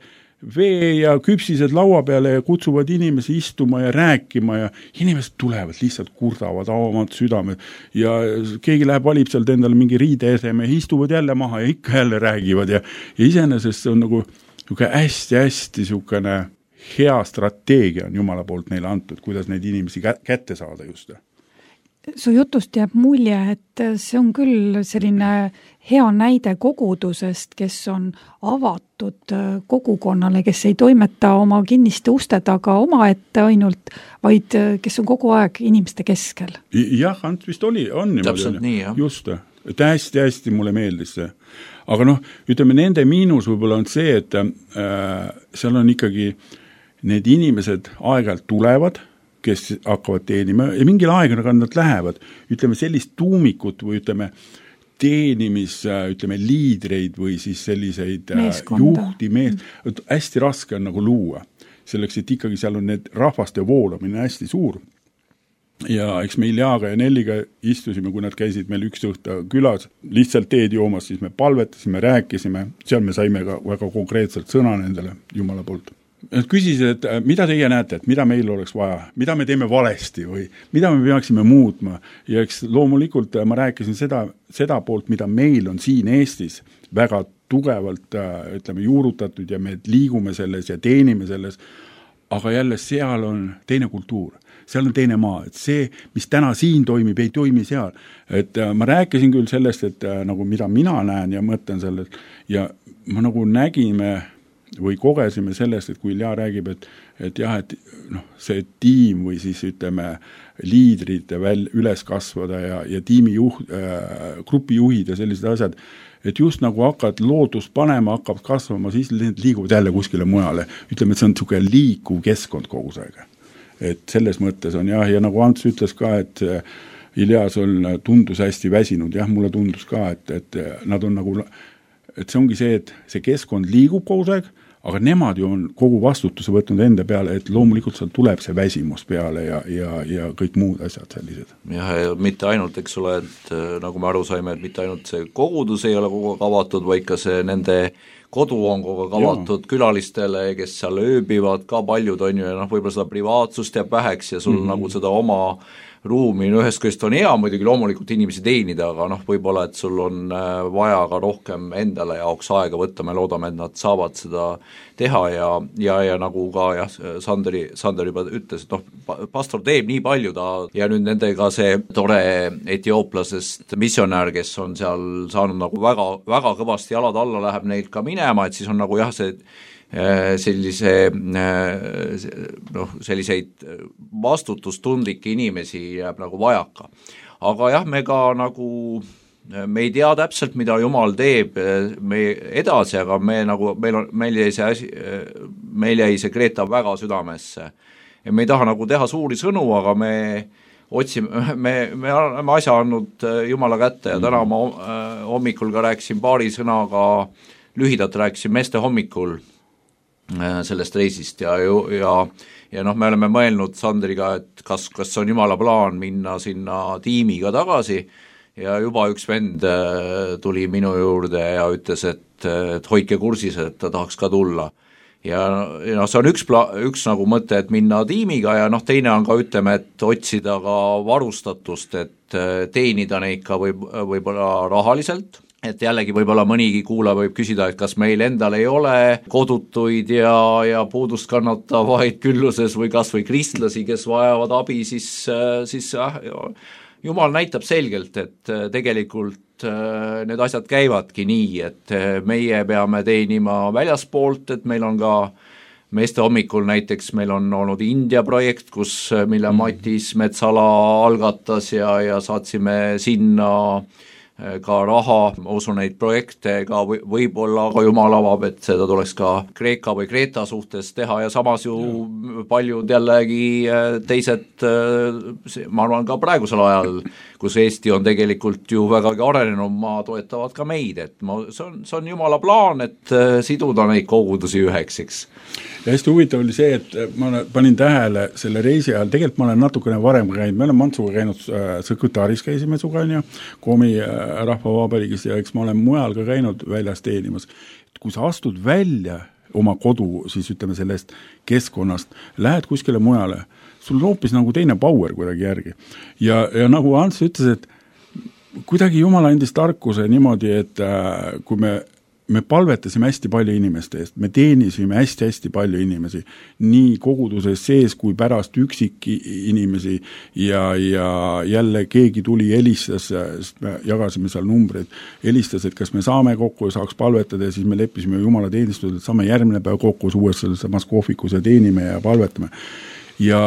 vee ja küpsised laua peale ja kutsuvad inimesi istuma ja rääkima ja inimesed tulevad, lihtsalt kurdavad avamad südamed ja keegi läheb, valib sealt endale mingi riideeseme ja istuvad jälle maha ja ikka jälle räägivad ja, ja iseenesest see on nagu hästi-hästi niisugune hea strateegia on Jumala poolt neile antud, kuidas neid inimesi kätte saada just. Su jutust jääb mulje, et see on küll selline hea näide kogudusest, kes on avatud kogukonnale, kes ei toimeta oma kinniste uste taga omaette ainult, vaid kes on kogu aeg inimeste keskel. Jah, Ants vist oli, on niimoodi. Täpselt nii, jah. Just, et hästi-hästi mulle meeldis see. Aga noh, ütleme, nende miinus võib-olla on see, et äh, seal on ikkagi need inimesed aeg-ajalt tulevad, kes hakkavad teenima ja mingil aegaga nad lähevad, ütleme sellist tuumikut või ütleme teenimis, ütleme liidreid või siis selliseid Meeskonda. Juhti, mees, hästi raske on nagu luua. Selleks, et ikkagi seal on need rahvaste voolamine hästi suur. Ja eks me Iljaga ja Nelliga istusime, kui nad käisid meil üks õhta külas, lihtsalt teed joomas, siis me palvetasime, rääkisime, seal me saime ka väga konkreetselt sõna nendele Jumala poolt. Nad küsisid, et mida teie näete, et mida meil oleks vaja, mida me teeme valesti või mida me peaksime muutma. Ja eks loomulikult ma rääkisin seda, seda poolt, mida meil on siin Eestis väga tugevalt ütleme, juurutatud ja me liigume selles ja teenime selles, aga jälle seal on teine kultuur. Seal on teine maa, et see, mis täna siin toimib, ei toimi seal. Et ma rääkisin küll sellest, et nagu mida mina näen ja mõtlen sellest ja ma nagu nägime või kogesime sellest, et kui Ilja räägib, et, et jah, et noh, see tiim või siis ütleme liidrid väl, üles kasvada ja, ja tiimi juht, äh, grupijuhid ja sellised asjad, et just nagu hakkad loodust panema, hakkab kasvama, siis liiguvad jälle kuskile mujale. Ütleme, et see on niisugune liikuv keskkond kogu aeg. Et selles mõttes on jah, ja nagu Ants ütles ka, et Ilja sul tundus hästi väsinud, jah, mulle tundus ka, et, et nad on nagu et see ongi see, et see keskkond liigub kogu aeg, aga nemad ju on kogu vastutuse võtnud enda peale, et loomulikult seal tuleb see väsimus peale ja, ja, ja kõik muud asjad sellised. Jah, ja mitte ainult, eks ole, et nagu me aru saime, et mitte ainult see kogudus ei ole kogu aeg avatud, vaid ka see nende kodu on kogu aeg avatud külalistele, kes seal ööbivad, ka paljud on ju, ja noh, võib-olla seda privaatsust jääb väheks ja sul mm-hmm. nagu seda oma ruumi, no ühest kõest on hea muidugi loomulikult inimesi teenida, aga noh, võib-olla, et sul on vaja ka rohkem endale jaoks aega võtta, me loodame, et nad saavad seda teha ja, ja, ja nagu ka jah, Sanderi, Sander juba ütles, et noh, pastor teeb nii palju ta ja nüüd nendega see tore etiooplasest missionär, kes on seal saanud nagu väga, väga kõvasti jalad alla, läheb neilt ka minema, et siis on nagu jah, see sellise noh, selliseid vastutustundlikke inimesi jääb nagu vajaka. Aga jah, me ka nagu me ei tea täpselt, mida Jumal teeb me edasi, aga me nagu, meil on, meil jäi see asi, meil jäi see Greta väga südamesse. Ja me ei taha nagu teha suuri sõnu, aga me otsime, me, me oleme asja andnud Jumala kätte ja täna ma hommikul ka rääkisin paari sõnaga, lühidalt rääkisin meeste hommikul sellest reisist ja, ja, ja noh, me oleme mõelnud Sandriga, et kas, kas on jumala plaan minna sinna tiimiga tagasi ja juba üks vend tuli minu juurde ja ütles, et, et hoidke kursis, et ta tahaks ka tulla. Ja, ja noh, see on üks, pla, üks nagu mõte, et minna tiimiga ja noh, teine on ka, ütleme, et otsida ka varustatust, et teenida neid ka võib, võib-olla rahaliselt. Et jällegi võib-olla mõnigi kuulaja võib küsida, et kas meil endal ei ole kodutuid ja, ja puudust kannatavaid külluses või kas või kristlasi, kes vajavad abi, siis, siis äh, Jumal näitab selgelt, et tegelikult äh, need asjad käivadki nii, et meie peame teenima väljaspoolt, et meil on ka meeste hommikul näiteks meil on olnud India projekt, kus, mille Matis Metsala algatas ja, ja saatsime sinna ka raha, ma usun neid projekte ka või, võib-olla ka Jumal avab, et seda tuleks ka Kreeka või Kreeta suhtes teha ja samas ju ja. paljud jällegi teised, ma arvan ka praegusel ajal, kus Eesti on tegelikult ju vägagi arenenud, maa toetavad ka meid, et ma, see on, see on Jumala plaan, et siduda neid kogudusi üheks, eks. Ja hästi huvitav oli see, et ma panin tähele selle reisi ajal, tegelikult ma olen natukene varem käinud, me oleme Mantsuga käinud äh, Sõkõtaris käisime suga, on ju, Komi äh, rahvavabariigis ja eks ma olen mujal ka käinud väljas teenimas. Kui sa astud välja oma kodu, siis ütleme sellest keskkonnast, lähed kuskile mujale, sul on hoopis nagu teine power kuidagi järgi. Ja, ja nagu Ants ütles, et kuidagi Jumal andis tarkuse niimoodi, et äh, kui me me palvetasime hästi palju inimeste eest, me teenisime hästi-hästi palju inimesi, nii koguduses sees kui pärast üksik inimesi ja, ja jälle keegi tuli helistas, sest me jagasime seal numbreid, helistas, et kas me saame kokku ja saaks palvetada ja siis me leppisime Jumala teenistused, et saame järgmine päev kokku uues selles samas kohvikus ja teenime ja palvetame. Ja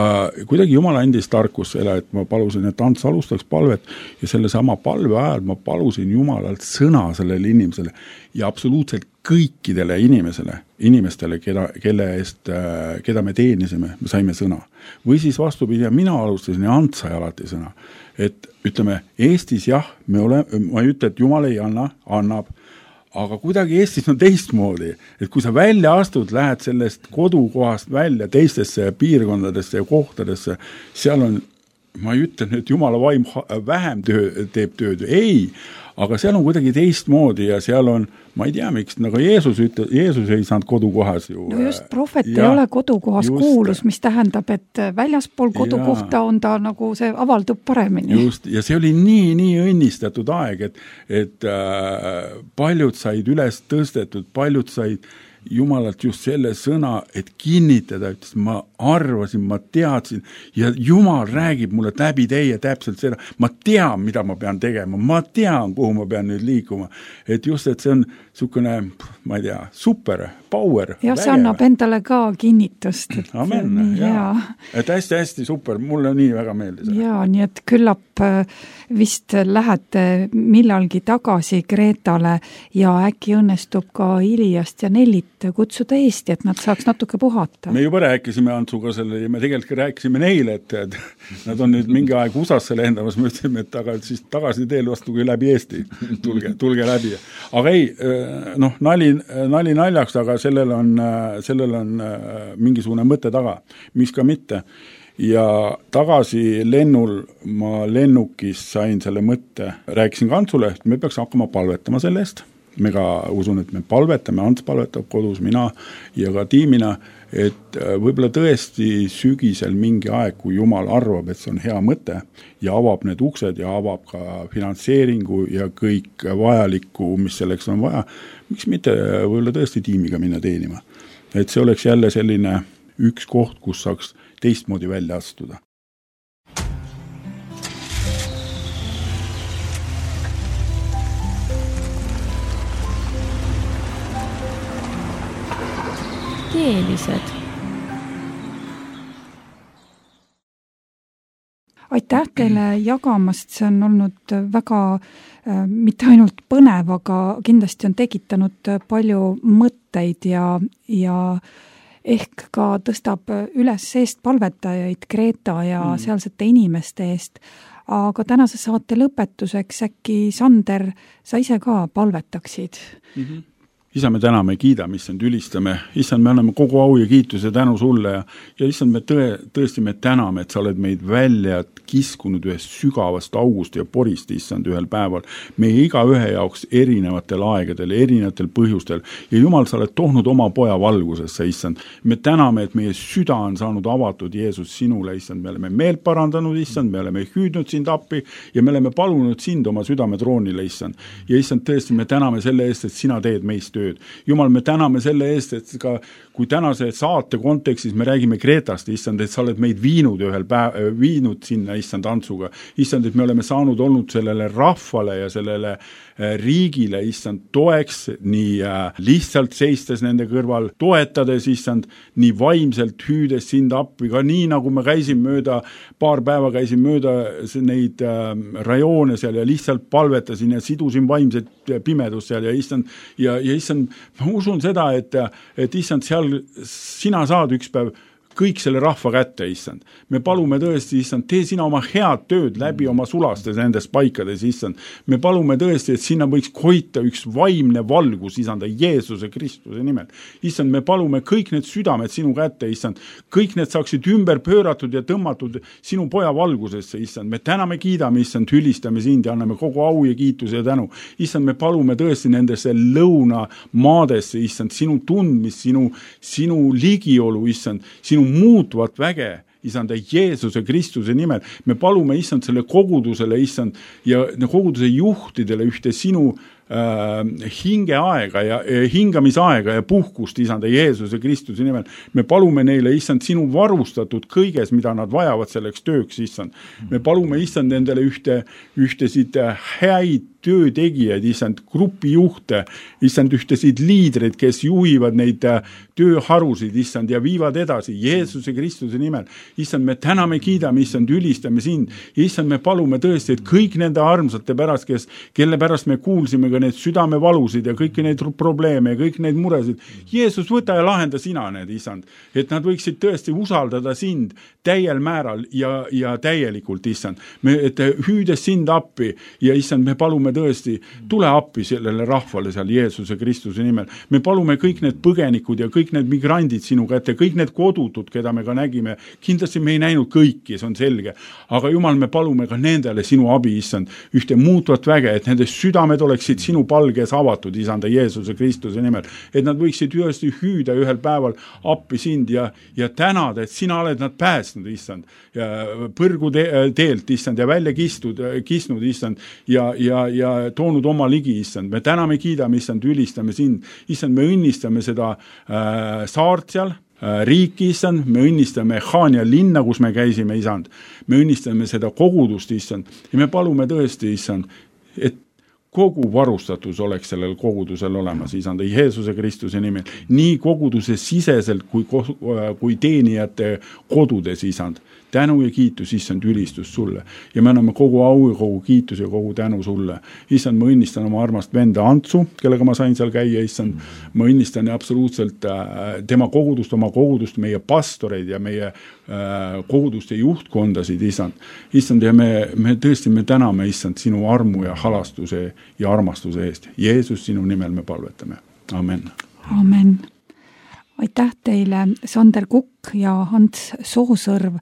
kuidagi Jumal andis tarkus selle, et ma palusin, et Ants alustaks palvet ja selle sama palve ajal ma palusin Jumalalt sõna sellele inimesele ja absoluutselt kõikidele inimesele, inimestele, keda, kelle eest, keda me teenisime, me saime sõna. Või siis vastupidi, ja mina alustasin ja Ants sai alati sõna. Et ütleme, Eestis jah, me oleme, ma ei ütle, et Jumal ei anna, annab, aga kuidagi Eestis on teistmoodi, et kui sa välja astud, lähed sellest kodukohast välja teistesse piirkondadesse ja kohtadesse, seal on, ma ei ütle, et Jumala vaim vähem töö, teeb tööd, ei, aga seal on kuidagi teistmoodi ja seal on, ma ei tea miks, nagu Jeesus ütle, Jeesus ei saanud kodukohas ju. No just, prohvet ja, ei ole kodukohas just, kuulus, mis tähendab, et väljaspool kodukohta ja, on ta nagu see avaldub paremini. Just, ja see oli nii, nii õnnistatud aeg, et, et äh, paljud said üles tõstetud, paljud said Jumalalt just selle sõna, et kinnitada, ütles, ma arvasin, ma teadsin ja Jumal räägib mulle läbi teie täpselt seda, ma tean, mida ma pean tegema, ma tean, kuhu ma pean nüüd liikuma, et just, et see on niisugune, ma ei tea, super, power. Ja see annab endale ka kinnitust. Et Amen, jaa. Et hästi-hästi super, mulle nii väga meeldis. Jaa, nii et küllap vist lähete millalgi tagasi Kreetale ja äkki õnnestub ka Iliast ja Nellit kutsuda Eesti, et nad saaks natuke puhata. Me juba rääkisime Antsuga selle ja me tegelikult rääkisime neile, et, et nad on nüüd mingi aeg U S A-sse lendamas, me ütleme, et taga, siis tagasi teel vastugi läbi Eesti, tulge, tulge läbi. Aga ei, noh, nali, nali naljaks, aga sellel on, sellel on mingisugune mõte taga, mis ka mitte. Ja tagasi lennul ma lennukis sain selle mõtte, rääkisin ka Antsule, et me peaks hakkama palvetama selle eest. Me ka usun, et me palvetame, Ants palvetab kodus, mina ja ka tiimina, et võib-olla tõesti sügisel mingi aeg, kui Jumal arvab, et see on hea mõte ja avab need uksed ja avab ka finantseeringu ja kõik vajalikku, mis selleks on vaja, miks mitte võib-olla tõesti tiimiga minna teenima. Et see oleks jälle selline üks koht, kus saaks teistmoodi välja astuda. Keelised. Aitäh teile jagamast, see on olnud väga äh, mitte ainult põnev, aga kindlasti on tekitanud palju mõtteid ja, ja ehk ka tõstab üles eest palvetajaid Kreeta ja mm. sealsete inimeste eest. Aga tänase saate lõpetuseks äkki, Sander, sa ise ka palvetaksid? Mm-hmm. Isa, me täname, kiidame, issand, ülistame, issand, me anname kogu au ja kiituse tänu sulle ja, ja issand, me tõe, tõesti me täname, et sa oled meid välja kiskunud ühest sügavast august ja porist, issand, ühel päeval. Meie iga ühe jaoks erinevatel aegadel, erinevatel põhjustel ja Jumal, sa oled toonud oma poja valgusesse, issand. Me täname, et meie süda on saanud avatud Jeesus sinule, issand, me oleme meelt parandanud, issand, me oleme hüüdnud sind appi ja me oleme palunud sind oma südametroonile, issand. Ja issand, tõesti, me täname selle eest, et sina teed meist tööd. Jumal, me täname selle eest, et ka kui tänase saate kontekstis me räägime Kreetast, issand, et sa oled meid viinud ühel päev, viinud sinna, issand, Antsuga. Issand, et me oleme saanud olnud sellele rahvale ja sellele riigile, issand, toeks, nii lihtsalt seistes nende kõrval, toetades, issand, nii vaimselt hüüdes sind appi, ka nii nagu me käisin mööda, paar päeva käisin mööda neid rajoone seal ja lihtsalt palvetasin ja sidusin vaimset pimedust seal ja issand, ja, ja issand, ma usun seda, et, et issand, seal sina saad üks päev kõik selle rahva kätte, issand. Me palume tõesti, issand, tee sina oma head tööd läbi oma sulastes nendes paikades, issand. Me palume tõesti, et sinna võiks koita üks vaimne valgus, issand, Jeesuse Kristuse nimel. Issand, me palume kõik need südamed sinu kätte, issand. Kõik need saaksid ümber pööratud ja tõmmatud sinu poja valgusesse, issand. Me täname, kiidame, issand, hülistame sind ja anname kogu au ja kiituse ja tänu. Issand, me palume tõesti nendesse lõuna maadesse, issand, sinu tundmist, sinu, sinu ligiolu, issand, sinu muutvat väge, issand, Jeesuse Kristuse nimel. Me palume, issand, selle kogudusele, issand, ja koguduse juhtidele ühte sinu äh, hingeaega ja äh, hingamisaega ja puhkust, issand, Jeesuse Kristuse nimel. Me palume neile, issand, sinu varustatud kõiges, mida nad vajavad selleks tööks, issand. Me palume, issand, nendele ühte, ühtesid häid töötegijad, issand, grupijuhte, issand, ühtesid liidreid, kes juhivad neid tööharusid, issand, ja viivad edasi Jeesuse Kristuse nimel. Issand, me täname, kiidame, issand, ülistame sind. Issand, me palume tõesti, et kõik nende armsate pärast, kes, kelle pärast me kuulsime ka need südamevalusid ja kõiki neid probleeme ja kõik neid muresid. Jeesus, võta ja lahenda sina need, issand, et nad võiksid tõesti usaldada sind täiel määral ja, ja täielikult, issand. Me, et hüüdes sind appi ja issand, me palume tõesti, tule appi sellele rahvale seal Jeesuse Kristuse nimel. Me palume kõik need põgenikud ja kõik need migrandid sinu kätte, kõik need kodutud, keda me ka nägime. Kindlasti me ei näinud kõiki, see on selge. Aga Jumal, me palume ka nendele sinu abi, issand, ühte muutvat väge, et nende südamed oleksid sinu palges avatud, issand, Jeesuse Kristuse nimel. Et nad võiksid ühesti hüüda ühel päeval appi sind ja, ja tänada, et sina oled nad päästnud, issand, ja põrgu te, teelt, issand, ja välja kistud, kisnud, issand, ja, ja, ja toonud oma ligi, issand. Me täname, kiidame, issand, ülistame sind. Issand, me õnnistame seda äh, saart seal, äh, riiki, issand. Me õnnistame Haania linna, kus me käisime, issand. Me õnnistame seda kogudust, issand. Ja me palume tõesti, issand, et kogu varustatus oleks sellel kogudusel olemas, isanda Jeesuse Kristuse nimel, nii koguduse siseselt kui, kui teenijate kodudes, isand. Tänu ja kiitus, issand, ülistus sulle. Ja me anname kogu au ja kogu kiitus ja kogu tänu sulle. Issand, ma õnnistan oma armast venda Antsu, kellega ma sain seal käia, issand. Ma õnnistan absoluutselt tema kogudust, oma kogudust, meie pastoreid ja meie koguduste juhtkondasid, issand. Issand, ja me, me tõesti me täname, issand, sinu armu ja halastuse ja armastuse eest. Jeesus, sinu nimel me palvetame. Amen. Amen. Aitäh teile, Sander Kukk ja Ants Soosõrv,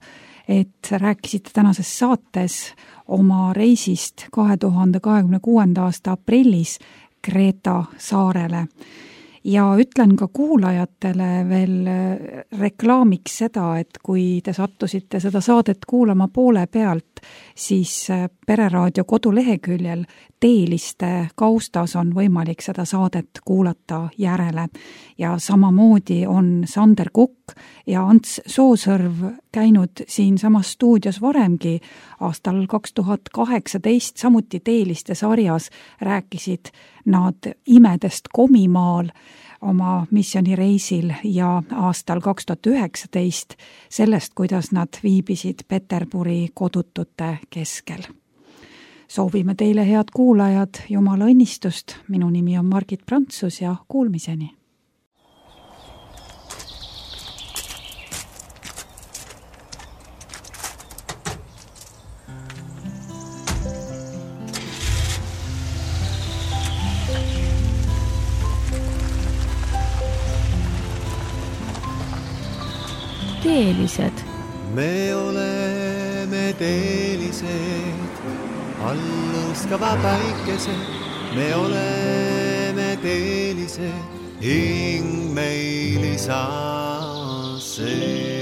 et rääkisite tänases saates oma reisist kahe tuhande kahekümne kuuenda aasta aprillis Kreeta saarele. Ja ütlen ka kuulajatele veel reklaamiks seda, et kui te sattusite seda saadet kuulama poole pealt, siis Pereraadio koduleheküljel teeliste kaustas on võimalik seda saadet kuulata järele. Ja samamoodi on Sander Kukk ja Ants Soosõrv käinud siin samas stuudios varemgi aastal kaks tuhat kaheksateist, samuti teeliste sarjas rääkisid nad imedest Komimaal oma missioonireisil ja aastal kaks tuhat üheksateist sellest, kuidas nad viibisid Peterburi kodutute keskel. Soovime teile, head kuulajad, Jumala õnnistust. Minu nimi on Margit Prantsus ja kuulmiseni. teelised. me oleme teelised, allustava päikesed, me oleme teelised, hing meil isa sees.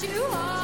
You are